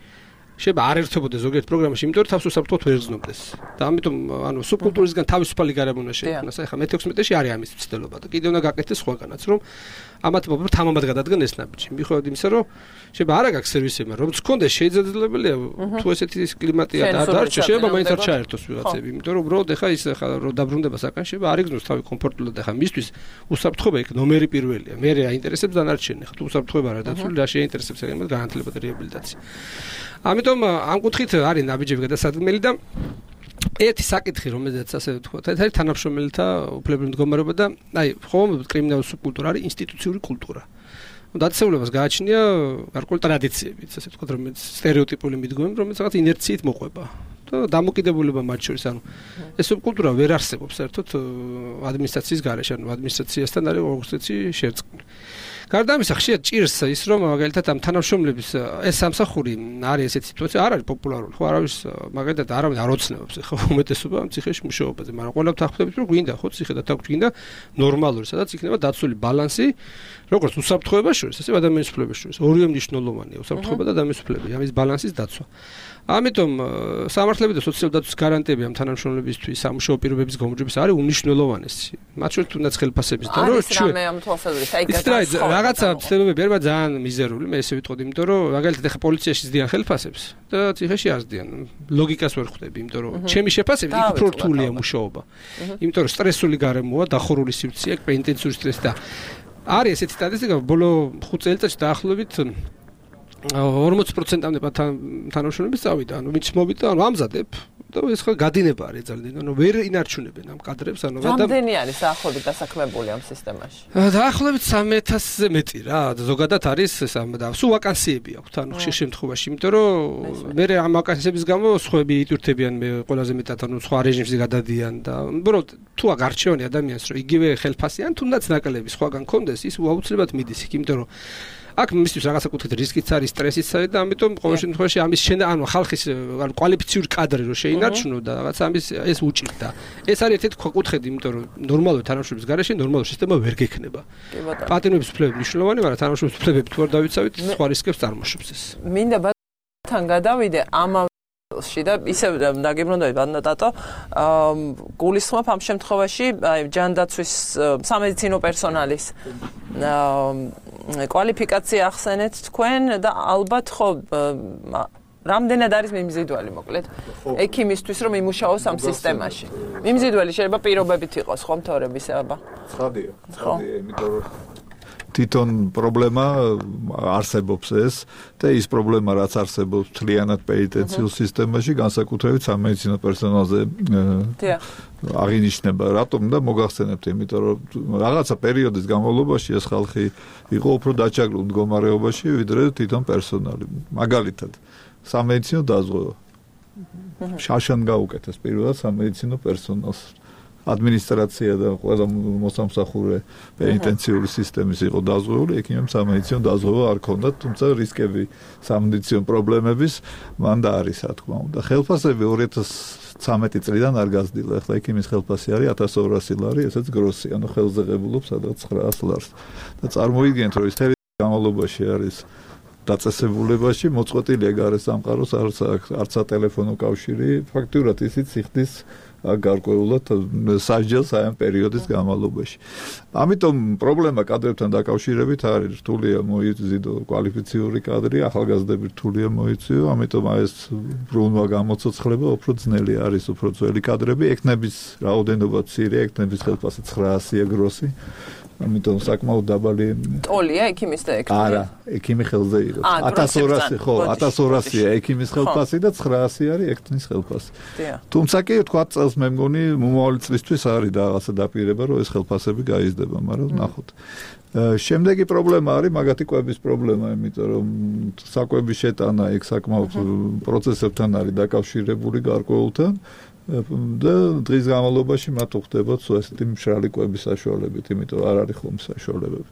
შეიძლება არ ერთვებოდეს ზოგიერთ პროგრამაში, იმიტომ რომ თავს უსაფრთხოდ ვერ გზნობდეს. და ამიტომ ანუ სუბკულტურისგან თავისუფალი გარემო უნდა შეიქმნას. აი ხა მეთექვსმეტეში არის ამის ცდელობა და კიდევ უნდა გაკეთდეს სხვაგანაც, რომ ამათ მობილ თამამად გადადგენ ეს ნაბიჯი. მიუხედავად იმისა, რომ შეიძლება არა გაქვს სერვისები, რომ გქონდეს შეიძლებაელია თუ ესეთი კლიმატია და დარჩა, შეიძლება მაინც არ ჩაერთოს ვიღაცები, იმიტომ რომ უბრალოდ ეხა ის ხა რომ დაბრუნდება საკან შეიძლება არ იგზნოს თავი კომფორტულად ეხა მისთვის უსაფრთხოება იქ ნომერი პირველია. მე აინტერესებს დანარჩენი, ხა თუ უსაფრთხოება არა დაცული, რა შეინტერესებს ეგ განათლება და რეაბილიტაცია. ამიტომ ამ კუთხით არის ნაბიჯები გადასადგმელი და ერთი საკითხი, რომელზეც ასე ვთქვათ, ეს არის თანამშრომელთა უფლებრივი მდგომარეობა და აი, ხომ კრიმინალური სუბკულტურა არის ინსტიტუციური კულტურა. დაწესებულებას გააჩნია გარკვეული ტრადიციებიც, ასე ვთქვათ, რომელიც სტერეოტიპული მიდგომები, რომელიც რაღაც ინერციით მოყვება. და დამოკიდებულება მათ შორის, ანუ ეს სუბკულტურა ვერ არსებობს საერთოდ ადმინისტრაციის გარეშე, ანუ ადმინისტრაციასთან არის როგორც ეცი შერწყმული. გარდა ამისა, ხშირად ჭირს ის, რომ მაგალითად ამ თანამშრომლების ეს სამსახური არის ესეთი სიტუაცია, არ არის პოპულარული, ხო, არავის მაგალითად არავინ არ ოცნებობს, ხო, უმეტესობა ამ ციხეში მუშაობაზე, მაგრამ ყველა ვთანხმდებით, რომ გვინდა, ხო, ციხე და თაგვი გვინდა ნორმალური, სადაც იქნება დაცული ბალანსი, როგორც უსაფრთხოებას შორის, ასე ადამიანის უფლების შორის. ორივე მნიშვნელოვანია, უსაფრთხოება და ადამიანის უფლები, ამის ბალანსის დაცვა. ამიტომ სამართლები და სოციალური დაცვის გარანტიები ამ თანამშრომლებისთვის სამუშაო პირობების გამარჯვების არის უმნიშვნელოვანესი. მათ შორის თუნდაც ხელფასების და რომ ჩვენ რამე ამ თვალსაზრისით აი გასაგებია რაღაცა ცდილობები ერმა ძალიან მიზერული, მე ესე ვიტყოდი, იმიტომ რომ მაგალითად ახლა პოლიციაში ზდიან ხელფასებს და ციხეში არ ზდიან. ლოგიკას ვერ ხვდები, იმიტომ რომ ჩემი შეფასებით იქ უფრო რთულია მუშაობა. იმიტომ რომ სტრესული გარემოა, დახურული სივრცეა, ინტენსიური სტრესი და არის ესეთი სტატისტიკა, ბოლო ხუთ წელიწადში დაახლოებით ორმოცი პროცენტამდე თანამშრომლების წავიდა, ანუ ვინც მოვიდა, ანუ ამზადებ და ეს ხა გადინება არის ძალიან, ანუ ვერ ინარჩუნებენ ამ კადრებს, ანუ რამდენი არის დაახლოებით დასაქმებული ამ სისტემაში? დაახლოებით სამი ათასზე მეტი რა, ზოგადად არის სამ და სულ ვაკანსიები აქვს, ანუ ხშირ შემთხვევაში, იმიტომ რომ მე ამ ვაკანსიების გამო სხვები იტვირთებიან მე ყველაზე მეტად, ანუ სხვა რეჟიმში გადადიან და უბრალოდ თუ აღარჩევანი ადამიანს, რომ იგივე ხელფასი ან თუნდაც ნაკლები სხვაგან კონდეს, ის აუცილებლად მიდის იქ, იმიტომ რომ აქ მისთვის რაღაცა კუთხით რისკიც არის, სტრესიც არის და ამიტომ ყოველ შემთხვევაში ამის შენ ანუ ხალხის ანუ კვალიფიციური კადრი რო შეინარჩუნო და რაღაც ამის ეს უჭირდა. ეს არის ერთ-ერთი კუთხედი, იმიტომ რომ ნორმალური თანამშრომლობის გარეშე ნორმალური სისტემა ვერ გექნება. პატიმრობის უფლებები მნიშვნელოვანი, მაგრამ თანამშრომლობის უფლებები თუ არ დავიცავით, სხვა რისკებს წარმოშობს ეს. მინდა ბათან გადავიდე ამ ში და ისევ დაგიბრუნდები ბანდატო გულისხმობ ამ შემთხვევაში აი ჯანდაცვის სამედიცინო პერსონალის კვალიფიკაცია ახსენეთ თქვენ და ალბათ ხო რამდენად არის მიმზიდველი მოკლედ ექიმისთვის რომ იმუშაოს ამ სისტემაში მიმზიდველი შეიძლება პირობებით იყოს ხო მთავრებისება ცხადია ცხადია იმიტომ რომ თვითონ პრობლემა არსებობს ეს და ის პრობლემა რაც არსებობს თლიანად პენიტენციურ სისტემაში განსაკუთრებით სამედიცინო პერსონალზე აღინიშნება რატომ და მოგახსენებთ იმიტომ რომ რაღაცა პერიოდის განმავლობაში ეს ხალხი იყო უფრო დაჭაგრულ მდგომარეობაში ვიდრე თვითონ პერსონალი მაგალითად სამედიცინო დაზღვევა შაშან გაუკეთეს პირველად სამედიცინო პერსონალს ადმინისტრაცია და ყველა მოსამსახურე პენიტენციური სისტემის იყო დაზღვეული, ექიმებს სამედიცინო დაზღვევა არ ქონდათ, თუმცა რისკები სამედიცინო პრობლემების მან და არის, რა თქმა უნდა. ხელფასები ორი ათას ცხრამეტი წლიდან არ გაზრდილა. ახლა ექიმის ხელფასი არის ათას ორასი ლარი, ესეც გროსი, ანუ ხელზე ღებულობს სადღაც ცხრაას ლარს. და წარმოიდგინეთ, რომ ის თერი განმავლობაში არის დაწესებულებაში მოწყვეტილია გარესამყაროს არც არც სატელეფონო კავშირი, ფაქტურად ისიც იხდის გარკვეულად სასჯელს აი ამ პერიოდის განმავლობაში. ამიტომ პრობლემა კადრებთან დაკავშირებით არის რთულია მოიზიდო კვალიფიციური კადრი, ახალგაზრდები რთულია მოიწვიო, ამიტომ აი ეს ბრუნვა გამოცოცხლება უფრო ძნელი არის, უფრო ძველი კადრები, ექნების რაოდენობა მცირე, ექნების ხელფასი ცხრაასია გროსი. ამიტომ საკმაოდ დაბალი ტოლია ექიმის და ექიმის. არა, ექიმი ხელზე იყო. ათას ორასი ხო, ათას ორასია ექიმის ხელფასი და ცხრაასი არის ექნის ხელფასი. თუმცა კი თქვა წელს მე მგონი მომავალი წლისთვის არის რაღაცა დაპირება, რომ ეს ხელფასები გაიზრდება, მაგრამ ნახოთ. შემდეგი პრობლემა არის მაგათი კვების პრობლემა, იმიტომ რომ საკვების შეტანა ეგ საკმაოდ პროცესებთან არის დაკავშირებული გარკვეულთან. და დღის განმავლობაში მათ უხდებათ ესეთი მშრალი კვების საშუალებით, იმიტომ არ არის ხომ საშუალებები.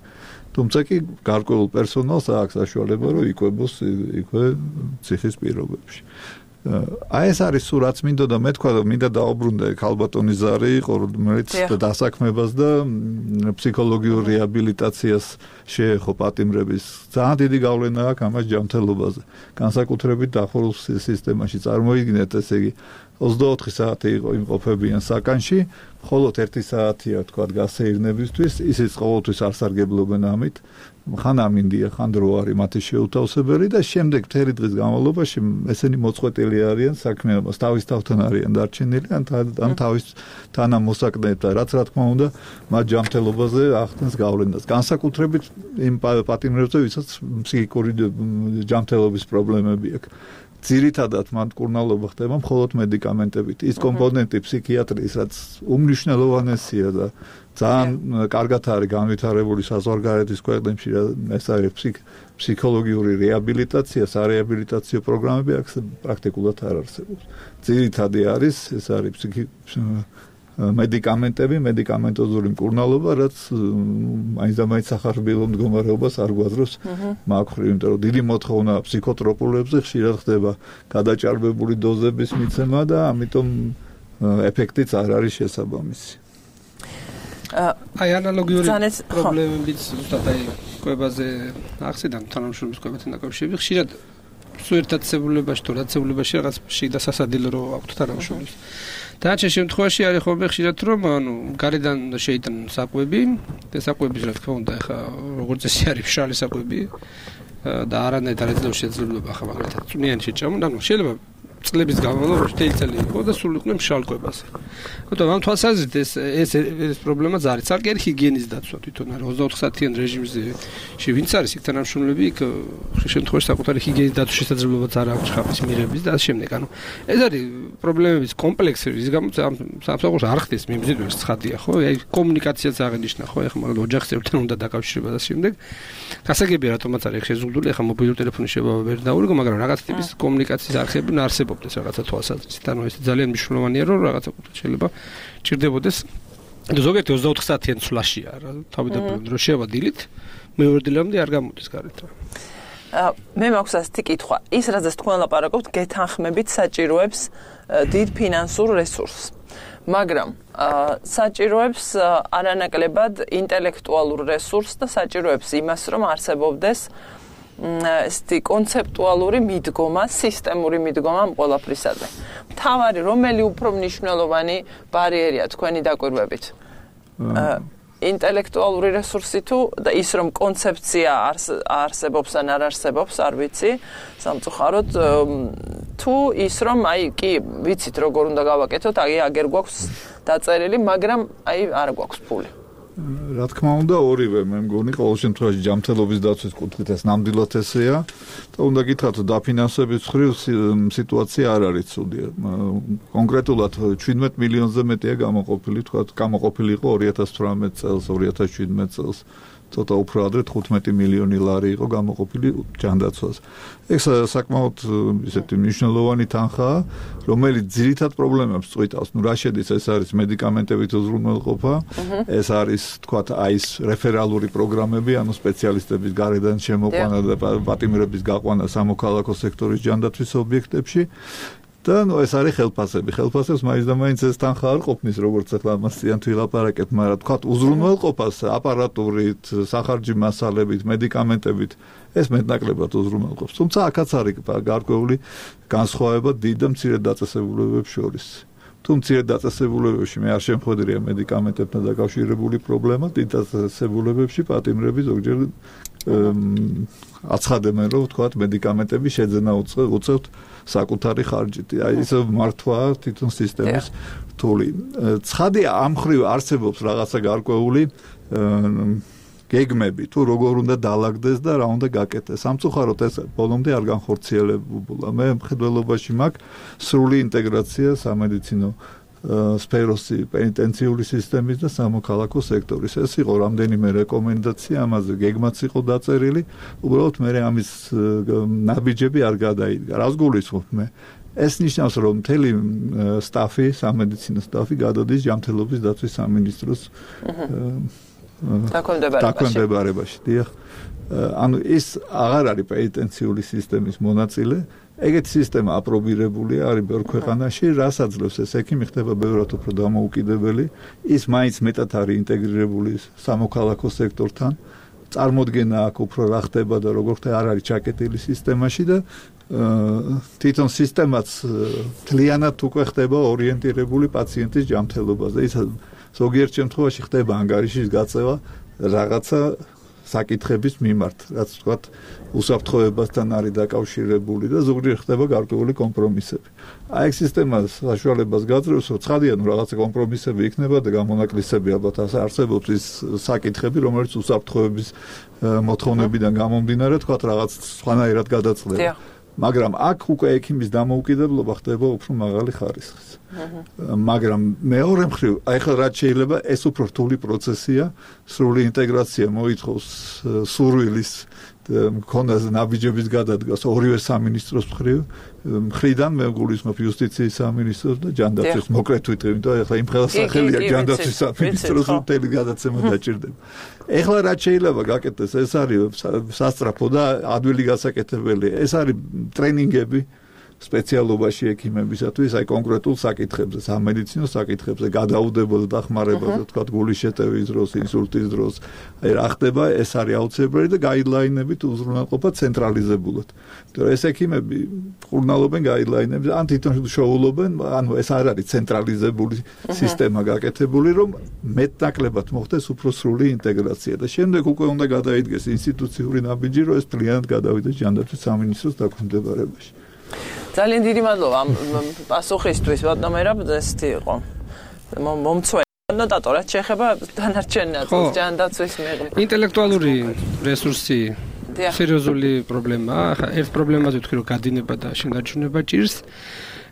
თუმცა კი გარკვეულ პერსონალს აქვს საშუალება, რომ იკვებოს იქვე ციხის პირობებში. აი ეს არის სულ რაც მინდოდა მე თქვა, რომ მინდა დაუბრუნდე ქალბატონი ზარი, რომელიც დასაქმებას და ფსიქოლოგიურ რეაბილიტაციას შეეხო პატიმრების. ძალიან დიდი გავლენა აქვს ამას ჯანმრთელობაზე. განსაკუთრებით დახურულ სისტემაში წარმოიდგინეთ, ესე იგი ოცდაოთხი საათი იყო იმყოფებიან საკანში, მხოლოდ ერთი საათია თქვა გასეირნებისთვის, ისიც ყოველთვის არ სარგებლობენ ამით. ხან ამინდია, ხან დრო არის მათი შეუთავსებელი და შემდეგ მთელი დღის განმავლობაში ესენი მოწყვეტილი არიან საქმიანობას, თავის თავთან არიან დარჩენილი, ან თავის თანამოსაკნეებთან, რაც რა თქმა უნდა, მათ ჯანმრთელობაზე ახდენს გავლენას. განსაკუთრებით იმ პატიმრებზე, ვისაც ფსიქიკური ჯანმრთელობის პრობლემები აქვს. ძირითადად მან მკურნალობა ხდება მხოლოდ მედიკამენტებით. ის კომპონენტი ფსიქიატრიის, რაც უმნიშვნელოვანესია და ძალიან კარგად არის განვითარებული საზღვარგარეთის ქვეყნებში, ეს არის ფსიქოლოგიური რეაბილიტაცია, სარეაბილიტაციო პროგრამები აქ პრაქტიკულად არ არსებობს. ძირითადი არის ეს არის მედიკამენტები, მედიკამენტოზური მკურნალობა, რაც მაინც და მაინც სახარბილო მდგომარეობას არ გვაძლევს მაგხრივ, იმიტომ რომ დიდი მოთხოვნა ფსიქოტროპულებზე ხშირად ხდება გადაჭარბებული დოზების მიცემა და ამიტომ ეფექტიც არ არის შესაბამისი. აი ანალოგიური პრობლემებიც ზუსტად აი კვებაზე ახსენდა თანამშრომლის კვებასთან დაკავშირებით ხშირად სუერთაცებულებაში თუ რაცებულებაში რაღაც შიდა სასადილო რო აქვთ თანამშრომლის. Დაჩე შემთხვევაში არის ხოლმე ხშირად რომ ანუ გარედან შეიტან საკვები და საკვების რა თქმა უნდა ახლა როგორც წესი არის მშრალი საკვები და არანაირ დარეძლებს შეძლებლობა ახლა მაგალითად წვნიანი შეჭამო ანუ შეიძლება წლების განმავლობაში თელი წელი იყო და სულ იყვნენ მშრალ კვებაზე. Თუმცა ამ თვალსაზრისით ეს ეს ეს პრობლემაც არის. ცალკე ჰიგიენის დაცვა თვითონ არის ოცდაოთხ საათიან რეჟიმზე ვინც არის იქ თანამშრომლები იქ შემთხვევაში საკუთარი ჰიგიენის დაცვის შესაძლებლობაც არ აქვს ხაფის მიღების და ამ შემდეგ. ანუ ეს არის პრობლემების კომპლექსი, რის გამოც ამ სამსახურს არ ხდეს მიმზიდველი ცხადია, ხო? აი კომუნიკაციაც აღინიშნა, ხო? ეხლა მაგალითად ოჯახის წევრთან უნდა დაკავშირება და შემდეგ. გასაგებია რატომაც არის შეზღუდული, ეხლა მობილური ტელეფონის შეებავა ვერ დაურიგო, მაგრამ რაღაც ტიპის კომუნიკაციის არხები არსებობდეს რაღაცა თვალსაზრისით. ანუ ეს ძალიან მნიშვნელოვანია, რომ რაღაცა შეიძლება ჭირდებოდეს. ზოგიერთი ოცდაოთხ საათიან ცვლაშია რა, თავიდანვე რომ შევა დილით, მეორე დილამდე არ გამოდის გარეთ რა. მე მაქვს ასეთი კითხვა. ის რაზეც თქვენ ლაპარაკობთ, გეთანხმებით საჭიროებს დიდ ფინანსურ რესურსს. მაგრამ საჭიროებს არანაკლებად ინტელექტუალურ რესურსს და საჭიროებს იმას, რომ არსებობდეს ესეთი კონცეპტუალური მიდგომა, სისტემური მიდგომა ამ ყველაფრისაზე. მთავარი რომელი უფრო მნიშვნელოვანი ბარიერია თქვენი დაკვირვებით? ინტელექტუალური რესურსი თუ და ის რომ კონცეფცია არსებობს ან არ არსებობს, არ ვიცი, სამწუხაროდ თუ ის რომ აი კი ვიცით როგორ უნდა გავაკეთოთ, აი აგერ გვაქვს დაწერილი, მაგრამ აი არ გვაქვს ფული. რა თქმა უნდა ორივე მე მგონი ყოველ შემთხვევაში ჯანმრთელობის დაცვის კუთხით ეს ნამდვილად ესეა და უნდა გითხრათ დაფინანსების მხრივ სიტუაცია არ არის ცუდი. კონკრეტულად შვიდმეტ მილიონზე მეტია გამოყოფილი, თქვა გამოყოფილი იყო ორი ათას თვრამეტ წელს, ორი ათას შვიდმეტ წელს. ცოტა უფრო ადრე თხუთმეტი მილიონი ლარი იყო გამოყოფილი ჯანდაცვას. ეს საკმაოდ ისეთი მნიშვნელოვანი თანხაა, რომელიც ძირითად პრობლემებს წვითავს. ნუ რა შედის, ეს არის მედიკამენტებით უზრუნველყოფა, ეს არის თქვათ აი ეს რეფერალური პროგრამები, ანუ სპეციალისტების გარედან შემოყვანა და პატიმრების გაყვანა სამოქალაქო სექტორის ჯანდაცვის ობიექტებში. და ნუ ეს არის ხელფასები. ხელფასებს მაინც და მაინც ეს თანხა არ ყოფნის, როგორც ახლა ამასიან თუ ილაპარაკეთ, მაგრამ თქვათ უზრუნველყოფას აპარატურით, სახარჯი მასალებით, მედიკამენტებით ეს მეტნაკლებად უზრუნველყოფს. თუმცა აქაც არის გარკვეული განსხვავება დიდ და მცირე დაწესებულებებს შორის. თუ მცირე დაწესებულებებში მე არ შემხვედრია მედიკამენტებთან დაკავშირებული პრობლემა, დიდ დაწესებულებებში პატიმრები ზოგჯერ აცხადებენ, რომ თქვათ მედიკამენტები შეძენა უწევთ საკუთარი ხარჯით. აი ეს მართვა თვითონ სისტემის რთული. ცხადია ამ მხრივ არსებობს რაღაცა გარკვეული გეგმები, თუ როგორ უნდა დაალაგდეს და რა უნდა გაკეთდეს. სამწუხაროდ ეს ბოლომდე არ განხორციელებულა. მე მხედველობაში მაქვს სრული ინტეგრაცია სამედიცინო სფეროსი პენიტენციური სისტემის და სამოქალაქო სექტორის. ეს იყო რამდენიმე რეკომენდაცია, ამაზე გეგმაც იყო დაწერილი. უბრალოდ მე ამის ნაბიჯები არ გადაიდგა. რას გულისხმობ მე? ეს ნიშნავს, რომ მთელი სტაფი, სამედიცინო სტაფი გადადის ჯანმრთელობის დაცვის სამინისტროს დაქვემდებარებაში. დიახ. ანუ ის აღარ არის პენიტენციური სისტემის მონაწილე. ეგეთი სისტემა აპრობირებულია არის ბევრ ქვეყანაში, რაც აძლევს ეს ექიმი ხდება ბევრად უფრო დამოუკიდებელი. ის მაინც მეტად არის ინტეგრირებული სამოქალაქო სექტორთან. წარმოდგენა აქვს უფრო რა ხდება და როგორ ხდება არ არის ჩაკეტილი სისტემაში და თვითონ სისტემაც მთლიანად უკვე ხდება ორიენტირებული პაციენტის ჯანმრთელობაზე. ის ზოგიერთ შემთხვევაში ხდება ანგარიშის გაწევა რაღაცა საკითხების მიმართ, რაც თქვათ უსაფრთხოებასთან არის დაკავშირებული და ზოგჯერ ხდება გარკვეული კომპრომისები. აი ეს სისტემა საშუალებას გაძლევს, რომ ცხადია, ნუ რაღაცა კომპრომისები იქნება და გამონაკლისები ალბათ არსებობს ის საკითხები, რომელიც უსაფრთხოების მოთხოვნებიდან გამომდინარე, თქვათ რაღაც სხვანაირად გადაწყდება. მაგრამ აქ უკვე ექიმის დამოუკიდებლობა ხდება უფრო მაღალი ხარისხის. მაგრამ მეორე მხრივ, აი ხა რაც შეიძლება ეს უფრო რთული პროცესია, სრული ინტეგრაცია მოითხოვს სურვილის მქონას ნაბიჯების გადადგას ორივე სამინისტროს მხრივ, მხრიდან მე გულისხმობ იუსტიციის სამინისტროს და ჯანდაცვის მოკლედ ვიტყვი, იმიტომ ეხლა იმ ხელს სახელია ჯანდაცვის სამინისტროს მთელი გადაცემა დაჭირდება. ეხლა რაც შეიძლება გაკეთდეს, ეს არის სასწრაფო და ადვილი გასაკეთებელი. ეს არის ტრენინგები სპეციალობაში ექიმებისათვის, აი კონკრეტულ საკითხებზე, სამედიცინო საკითხებზე, გადაუდებელ დახმარებაზე, თქვა გულის შეტევის დროს, ინსულტის დროს, აი რა ხდება, ეს არის აუცილებელი და გაიდლაინებით უზრუნველყოფა ცენტრალიზებულად. იმიტომ ეს ექიმები ყურნალობენ გაიდლაინებზე, ან თვითონ შოულობენ, ანუ ეს არ არის ცენტრალიზებული სისტემა გაკეთებული, რომ მეტნაკლებად მოხდეს უფრო სრული ინტეგრაცია და შემდეგ უკვე უნდა გადაიდგეს ინსტიტუციური ნაბიჯი, რომ ეს მთლიანად გადავიდეს ჯანდაცვის სამინისტროს დაქვემდებარებაში. ძალიან დიდი მადლობა ამ პასუხისთვის, ბატონო მერაბ, ესეთი იყო. მომწვევა ნოტატორ, რაც შეეხება დანარჩენ ნაწილს ჯანდაცვის მიღება. ინტელექტუალური რესურსი სერიოზული პრობლემაა. ახლა ერთ პრობლემაზე ვთქვი, რომ გადინება და შენარჩუნება ჭირს.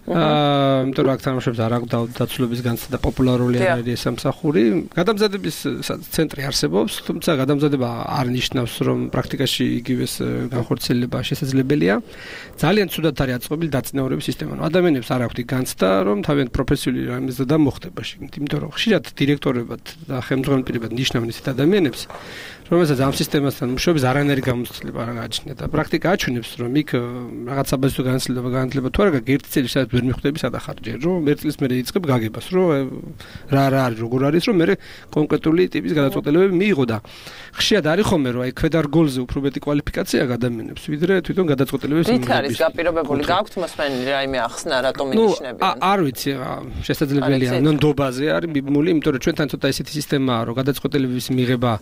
აა, იმიტომ რომ აქ თამაშობს არა დაცულობის განცდა და პოპულარული არის სამსახური. გადამზადების ცენტრი არსებობს, თუმცა გადამზადება არ ნიშნავს, რომ პრაქტიკაში იგივეს განხორციელება შესაძლებელია. ძალიან ცუდად არის აწყობილი დაწინაურების სისტემა. ადამიანებს არ აქვთ განცდა, რომ თავიანთ პროფესიული რამეზე დამოხდება შეგნით, იმიტომ რომ ხშირად დირექტორებად და ხელმძღვანელ პირებად ნიშნავენ ისეთ ადამიანებს, რომელსაც ამ სისტემასთან მუშაობის არანაირი გამოცდილება არ გააჩნია და პრაქტიკა აჩვენებს, რომ იქ რაღაც საბაზრო განათლება განათლება თუ არა გაქვს ერთი წელი სადაც ვერ მიხვდები სადახარჯერ, რომ ერთ წელს მერე იწყებ გაგებას, რომ რა რა არის, როგორ არის, რომ მერე კონკრეტული ტიპის გადაწყვეტილებები მიიღო და ხშირად არის ხოლმე, რომ აი ქვედარგოლზე უფრო მეტი კვალიფიკაცია ადამიანებს, ვიდრე თვითონ გადაწყვეტილებებს მიიღებს. რით არის გაპირობებული? გაქვთ მოსმენილი რაიმე ახსნა, რატომ ინიშნებიან? ნუ არ ვიცი, შესაძლებელია ნონდობაზე არის მიბმული, იმიტომ რომ ჩვენთან ცოტა ისეთი სისტემაა, რომ გადაწყვეტილებების მიღება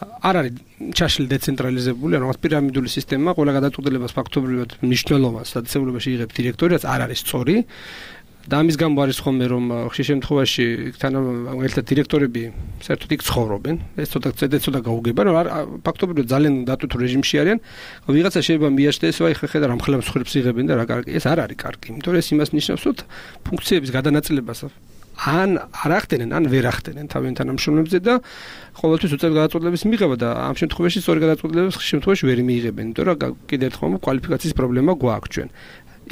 არ არის ჩაშლილი დეცენტრალიზებული, ანუ რაღაც პირამიდული სისტემა, ყველა გადაწყვეტილებას ფაქტობრივად მნიშვნელოვანს დაწესებულებაში იღებს დირექტორი, რაც არ არის სწორი. და ამის გამო არის ხოლმე, რომ ხშირ შემთხვევაში თანამედროვე დირექტორები საერთოდ იქ ცხოვრობენ. ეს ცოტა ცოტა გაუგება, რომ ფაქტობრივად ძალიან დატვირთულ რეჟიმში არიან. ვიღაცა შეიძლება მიაჩნდეს, აი ხედა რა მხოლოდ მსხვერპლს იღებენ და რა კარგი. ეს არ არის კარგი, იმიტომ რომ ეს იმას ნიშნავს, რომ ფუნქციების გადანაწილებას ან არ ახდენენ, ან ვერ ახდენენ თავიანთ თანამშრომლებზე და ყოველთვის უწევთ გადაწყვეტილების მიღება და ამ შემთხვევაში სწორი გადაწყვეტილებებს ხშირ შემთხვევაში ვერ მიიღებენ, იმიტომ რომ კიდევ ერთხელ კვალიფიკაციის პრობლემა გვაქვს ჩვენ.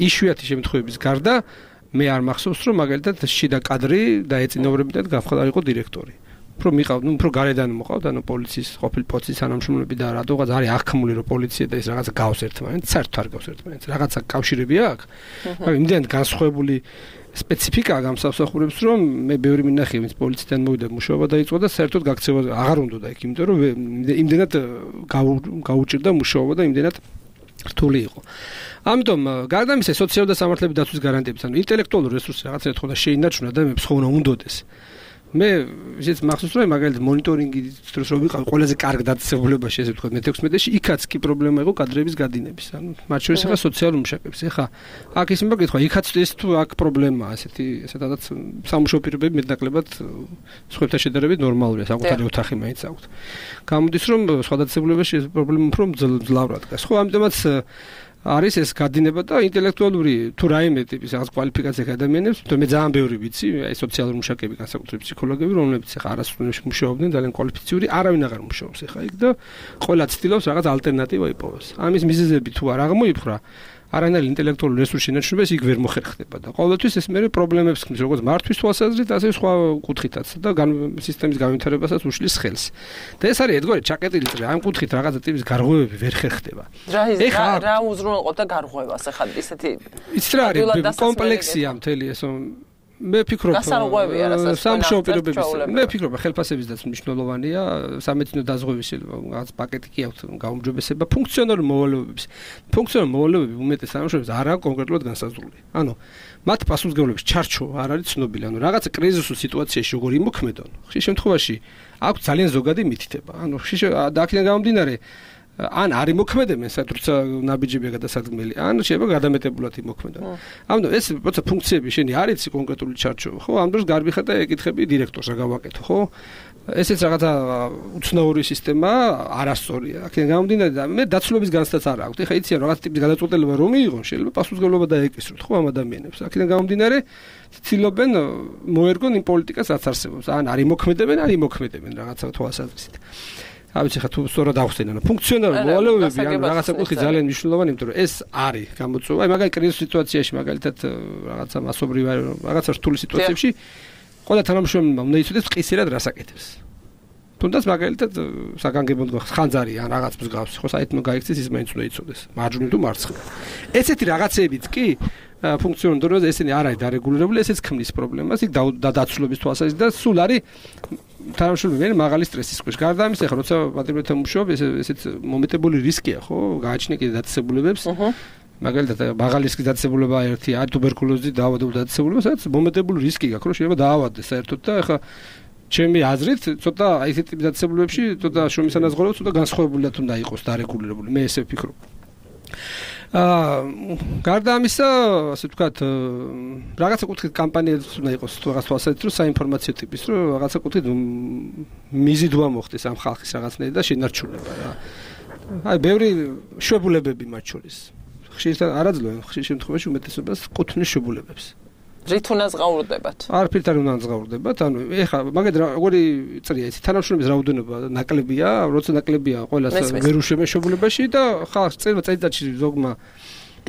იშვიათი შემთხვევების გარდა მე არ მახსოვს, რომ მაგალითად შიდა კადრი დაეწინაურებინათ გამხდარიყო დირექტორი. უფრო მიყავ, ნუ უფრო გარედან მოყავთ, ანუ პოლიციის ყოფილი პოლიციის თანამშრომლები და რატოღაც არის აღქმული, რომ პოლიცია და ეს რაღაცა გავს ერთმანეთს, საერთოდ არ გავს ერთმანეთს. რაღაცა კავშირები აქვს, მაგრამ იმდენად განსხვავებული სპეციფიკაა გამსახურებს, რომ მე ბევრი მინახე, ვინც პოლიციიდან მოვიდა მუშაობა დაიწყო და საერთოდ გაქცევა აღარ უნდა იქ, იმიტომ რომ იმდენად გაუჭირდა მუშაობა და იმდენად რთული იყო. ამიტომ გარდა ამისა, სოციალური და სამართლების დაცვის გარანტიების, ანუ ინტელექტუალური რესურსი რაღაცა თქო და შეინარჩუნა ადამიანებს ხომ უნდა უნდოდეს. მე ისიც მახსოვს, რომ მაგალითად მონიტორინგი დროს რომ ვიყავ ყველაზე კარგ დაწესებულებაში, ესე ვთქვათ, მეთექვსმეტეში, იქაც კი პრობლემა იყო კადრების გადინების. ანუ მათ შორის ახლა სოციალურ მუშაკებს. ახლა აქ ის მოგეკითხა, იქაც ეს თუ აქ პრობლემაა, ესეთი ესეთადაც სამუშაო პირობები მეტნაკლებად სხვებთან შედარებით ნორმალურია, საკუთარი ოთახი მაინც აქვთ. გამოდის, რომ სხვა დაწესებულებაში ეს პრობლემა უფრო მძლავრად დგას. ხო, ამიტომაც არის ეს გადინება და ინტელექტუალური თუ რაიმე ტიპის რაღაც კვალიფიკაცია ადამიანებს, თუმცა მე ძალიან ბევრი ვიცი, აი სოციალური მუშაკები, განსაკუთრებით ფსიქოლოგები, რომლებიც ახლა არასრულებში მუშაობდნენ, ძალიან კვალიფიციური, არავინ აღარ მუშაობს ახლა იქ და ყველა ცდილობს რაღაც ალტერნატივა იპოვოს. ამის მიზეზები თუ არ აღმოიფხვრა, არანაირი ინტელექტუალური რესურსი შენარჩუნებას იქ ვერ მოხერხდება და ყოველთვის ეს მე პრობლემებს ხმის, როგორც მართვის თვალსაზრისით, ასე სხვა კუთხითაც და სისტემის განვითარებასაც უშლის ხელს. და ეს არის ედგორი ჩაკეტილი წრე, ამ კუთხით რაღაცა ტიპის გარღვევები ვერ ხერხდება. რა რა უზრუნველყოფდა გარღვევას ახლა ისეთი იცით რა არის კომპლექსია მთელი ეს მე ფიქრობ სამშობლო პირობების მე ფიქრობ ხელფასების დაც მნიშვნელოვანია სამედიცინო დაზღვევის რაღაც პაკეტი კი აქვს გაუმჯობესება ფუნქციონალური მოვალეობების ფუნქციონალური მოვალეობები უმეტეს სამშობლოებს არა კონკრეტულად განსაზღვრული ანუ მათ პასუხისმგებლობის ჩარჩო არ არის ცნობილი ანუ რაღაც კრიზისულ სიტუაციაში როგორ იმოქმედონ ხშირ შემთხვევაში აქვს ძალიან ზოგადი მითითება ანუ ხშირ და აქედან გამომდინარე ან არის მოქმედებენ საერთოდ როცა ნაბიჯებია გადასადგმელი, ან შეიძლება გადამეტებულად იმოქმედონ. ამიტომ ეს როცა ფუნქციები შენი არ იცი კონკრეტული ჩარჩო, ხო, ამ დროს გარბი ხარ და ეკითხები დირექტორს რა გავაკეთო, ხო? ესეც რაღაცა უცნაური სისტემა არასწორია. აქედან გამომდინარე და მე დაცულობის განცდაც არ აქვს. ეხლა იციან რაღაცა ტიპის გადაწყვეტილება რომ მიიღონ, შეიძლება პასუხისმგებლობა დაეკისროთ, ხო, ამ ადამიანებს. აქედან გამომდინარე ცდილობენ მოერგონ იმ პოლიტიკას, რაც არსებობს. ან არ იმოქმედებენ, არ იმოქმედებენ რაღაცა თვალსაზრისით. ავიცი ხა თუ სწორად ახსენე, ანუ ფუნქციონალური მოვალეობები ან რაღაცა კუთხე ძალიან მნიშვნელოვანი, იმიტომ რომ ეს არის გამოწვევა. აი მაგალითად კრიზის სიტუაციაში, მაგალითად რაღაცა მასობრივ რაღაცა რთული სიტუაციებში ყველა თანამშრომელმა უნდა იცოდეს ყისერად რას აკეთებს. თუნდაც მაგალითად საგანგებოდ ხანძარი ან რაღაც მსგავსი, ხო, საერთოდ გაიქცეს ის მაინც უნდა იცოდეს, მარჯვნივ თუ მარცხნივ. ესეთი რაღაცეებიც კი ფუნქციონალურ დონეზე ესენი არ არის დარეგულირებული, ესეც ქმნის პრობლემას, იქ დაცულობის თვალსაზრისით და სულ არის თანამშრომელი მაღალი სტრესის ქვეშ. გარდა ამისა, ხო, როცა პატრიოტებთან მუშაობ, ეს ესეც მომეტებული რისკია, ხო, გააჩნია კიდე დაწესებულებებს. მაგალითად, მაღალი რისკის დაწესებულება ერთი არის ტუბერკულოზით დაავადებული დაწესებულება, სადაც მომეტებული რისკი გაქვს, რომ შეიძლება დაავადდეს საერთოდ და ეხა ჩემი აზრით, ცოტა აი ესეთი ტიპის დაწესებულებებში ცოტა შრომის ანაზღაურება ცოტა განსხვავებულად უნდა იყოს დარეგულირებული. მე ესე ვფიქრობ. აა გარდა ამისა, ასე ვთქვათ, რაღაცა კუთხით კამპანიაც უნდა იყოს რაღაც თვალსაზრისით, რომ საინფორმაციო ტიპის, რომ რაღაცა კუთხით მიზიდვა მოხდეს ამ ხალხის რაღაცნაირი და შენარჩუნება რა. აი, ბევრი შვებულებები მათ შორის. ხშირად არაძლევენ, ხშირ შემთხვევაში უმეტესობას კუთვნის შვებულებებს. რით უნდა ზღაურდებათ? არაფრით არ უნდა ზღაურდებათ, ანუ ეხლა მაგალითად როგორი წრია იცი, თანამშრომლების რაოდენობა ნაკლებია, როცა ნაკლებია ყველას ვერ უშემეშებულებაში და ხალხს წერვა წელიწადში ზოგმა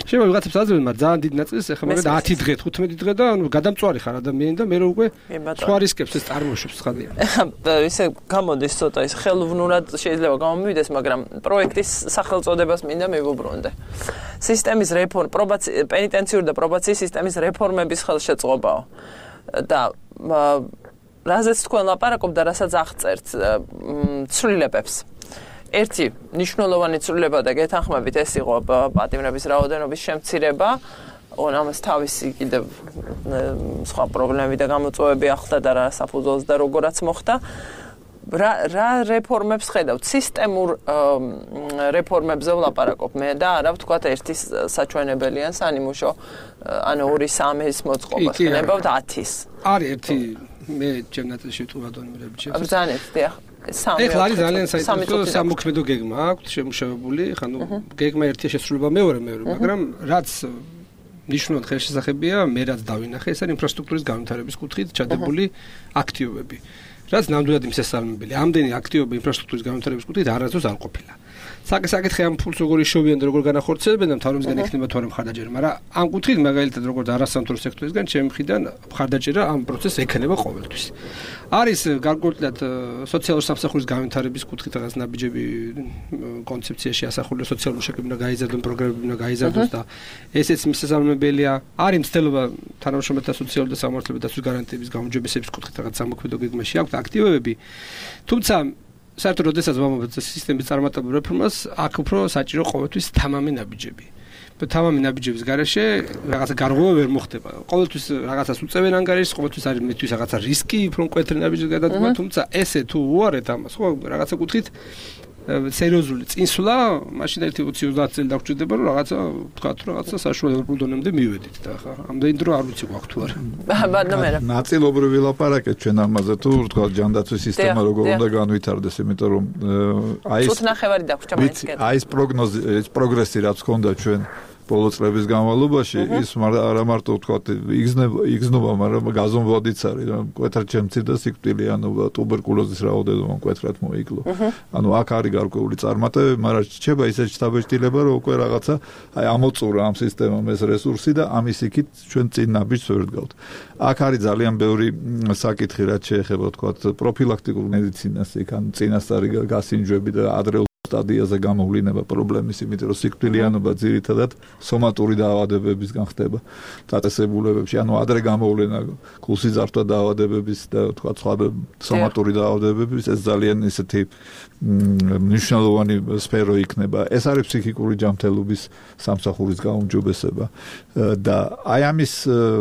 შეიძლება ვიღაცებს აძლევენ, მაგრამ ძალიან დიდ ნაწილს ეხლა მაგალითად ათი დღე, თხუთმეტი დღე და ანუ გადამწვარი ხარ ადამიანი და მე რო უკვე სხვა რისკებს ეს წარმოშობს ხადია. ისე გამოდის ცოტა ის ხელოვნურად შეიძლება გამომივიდეს, მაგრამ პროექტის სახელწოდებას მინდა მივუბრუნდე. სისტემის რეფორმ, პრობაცია, პენიტენციური და პრობაციის სისტემის რეფორმების ხელშეწყობაო. და რაზეც თქვენ ლაპარაკობთ და რასაც აღწერთ ცვლილებებს. ერთი მნიშვნელოვანი ცვლილება და გეთანხმებით ეს იყო პატიმრების რაოდენობის შემცირება, ამას თავისი კიდევ სხვა პრობლემები და გამოწვევები ახლდა და რა საფუძველს და როგორაც მოხდა. რა რა რეფორმებს ხედავთ? სისტემურ რეფორმებზე ვლაპარაკობ მე და არა ვთქვათ ერთი საჩვენებელიან სანიმუშო, ანუ ორი სამის მოწყობას ხნებავთ ათის. არის ერთი მე ჩემ ნაწილში ვთქვა დონემრები ჩემს. ბრძანეთ, დიახ. ეხლა არის ძალიან საინტერესო სამოქმედო გეგმა აქვს შემუშავებული, ხა ნუ გეგმა ერთია შესრულება მეორე მეორე, მაგრამ რაც ნიშნულად ხელშესახებია, მე რაც დავინახე, ეს არის ინფრასტრუქტურის განვითარების კუთხით ჩადებული აქტივობები. რაც ნამდვილად მისასალმებელი. ამდენი აქტივობა ინფრასტრუქტურის განვითარების კუთხით არასდროს არ ყოფილა. საკითხი ამ ფულს როგორ იშოვიან და როგორ განახორციელებენ და მთავრობისგან იქნება თუ არა მხარდაჭერა, მაგრამ ამ კუთხით მაგალითად როგორც არასამთავრობო სექტორისგან ჩემი მხრიდან მხარდაჭერა ამ პროცესს ექნება ყოველთვის. არის გარკვეულად სოციალური სამსახურის განვითარების კუთხით რაღაც ნაბიჯები კონცეფციაში ასახული სოციალური მუშაკები უნდა გაიზარდონ, პროგრამები უნდა გაიზარდოს და ესეც მისასალმებელია. არის მცდელობა თანამშრომელთა სოციალური და სამართლებრივი დაცვის გარანტიების გაუმჯობესების კუთხით რაღაც სამოქმედო გეგმაში აქვს აქტივობები. თუმცა საერთოდ როდესაც ვამბობთ სისტემის წარმატებულ რეფორმას, აქ უფრო საჭირო ყოველთვის თამამი ნაბიჯები. და თამამი ნაბიჯების გარეშე რაღაცა გარღვევა ვერ მოხდება. ყოველთვის რაღაცას უწევენ ანგარიშს, ყოველთვის არის მისთვის რაღაცა რისკი, უფრო მკვეთრი ნაბიჯის გადადგმა, თუმცა ესე თუ უარეთ ამას, ხო, რაღაცა კუთხით სერიოზული წინსვლა, მაშინ ერთი ოცი ოცდაათი წელი დაგჭირდება, რომ რაღაცა ვთქვათ, რაღაცა საშუალო ევროპულ დონემდე მივედით და ხა ამდენი დრო არ ვიცი გვაქვს თუ არა. ბატონო, ნაწილობრივ ვილაპარაკეთ ჩვენ ამაზე თუ ვთქვათ ჯანდაცვის სისტემა როგორ უნდა განვითარდეს, იმიტომ რომ აი ეს წუთნახევარი დაგვჭირდა მაინც. აი ეს პროგნოზი, ეს პროგრესი რაც ჰქონდა ჩვენ ბოლო წლების განმავლობაში ის არა მარტო ვთქვათ იგზნობა, მაგრამ გაზომვადიც არის, რომ მკვეთრად შემცირდა სიკვდილიანობა, ტუბერკულოზის რაოდენობა მკვეთრად მოიკლო. ანუ აქ არის გარკვეული წარმატებები, მაგრამ რჩება ისეთი შთაბეჭდილება, რომ უკვე რაღაცა აი ამოწურა ამ სისტემამ ეს რესურსი და ამის იქით ჩვენ წინ ნაბიჯს ვერ ვდგავთ. აქ არის ძალიან ბევრი საკითხი, რაც შეეხება ვთქვათ პროფილაქტიკურ მედიცინას, იქ ან წინასწარი გასინჯვები და ადრეულ სტადიაზე გამოვლინება პრობლემის, იმიტომ რომ სიკვდილიანობა ძირითადად სომატური დაავადებებისგან ხდება დაწესებულებებში, ანუ ადრე გამოვლენა გულსიძართა დაავადებების და თქვა სხვა სომატური დაავადებების, ეს ძალიან ისეთი მნიშვნელოვანი სფერო იქნება. ეს არის ფსიქიკური ჯანმრთელობის სამსახურის გაუმჯობესება და აი ამის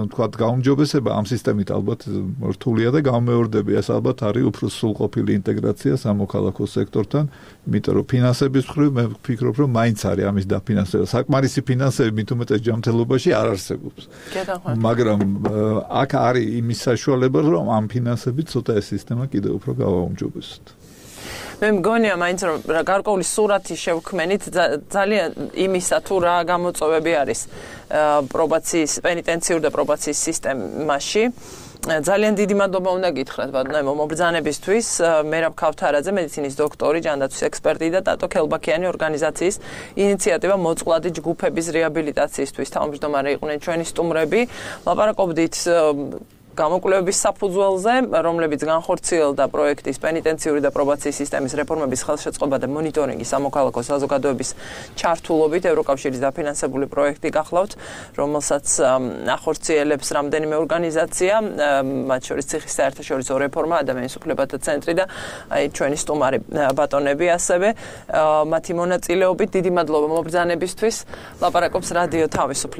თქვა გაუმჯობესება ამ სისტემით ალბათ რთულია და გამეორდება. ეს ალბათ არის უფრო სრულყოფილი ინტეგრაცია სამოქალაქო სექტორთან, იმიტომ რომ ფინანსების მხრივ მე ვფიქრობ, რომ მაინც არის ამის დაფინანსება. საკმარისი ფინანსები მით უმეტეს ჯანმრთელობაში არ არსებობს. მაგრამ აქ არის იმის საშუალება, რომ ამ ფინანსებით ცოტა ეს სისტემა კიდევ უფრო გავაუმჯობესოთ. მე მგონია მაინც რომ გარკვეული სურათი შევქმენით ძალიან იმისა თუ რა გამოწვევები არის პრობაციის პენიტენციურ და პრობაციის სისტემაში. ძალიან დიდი მადლობა უნდა გითხრათ ბატონო მობრძანებისთვის მერაბ ქავთარაძე მედიცინის დოქტორი ჯანდაცვის ექსპერტი და ტატო ქელბაქიანი ორგანიზაციის ინიციატივა მოწყვლადი ჯგუფების რეაბილიტაციისთვის თავმჯდომარე იყვნენ ჩვენი სტუმრები ლაპარაკობდით გამოკვლევების საფუძველზე, რომლებიც განხორციელდა პროექტის პენიტენციური და პრობაციის სისტემის რეფორმების ხელშეწყობა და მონიტორინგი სამოქალაქო საზოგადოების ჩართულობით ევროკავშირის დაფინანსებული პროექტი გახლავთ, რომელსაც ახორციელებს რამდენიმე ორგანიზაცია, მათ შორის ციხის საერთაშორისო რეფორმა, ადამიანის უფლებათა ცენტრი და აი ჩვენი სტუმარი ბატონები ასევე მათი მონაწილეობით დიდი მადლობა მობრძანებისთვის. ლაპარაკობს რადიო თავისუფლება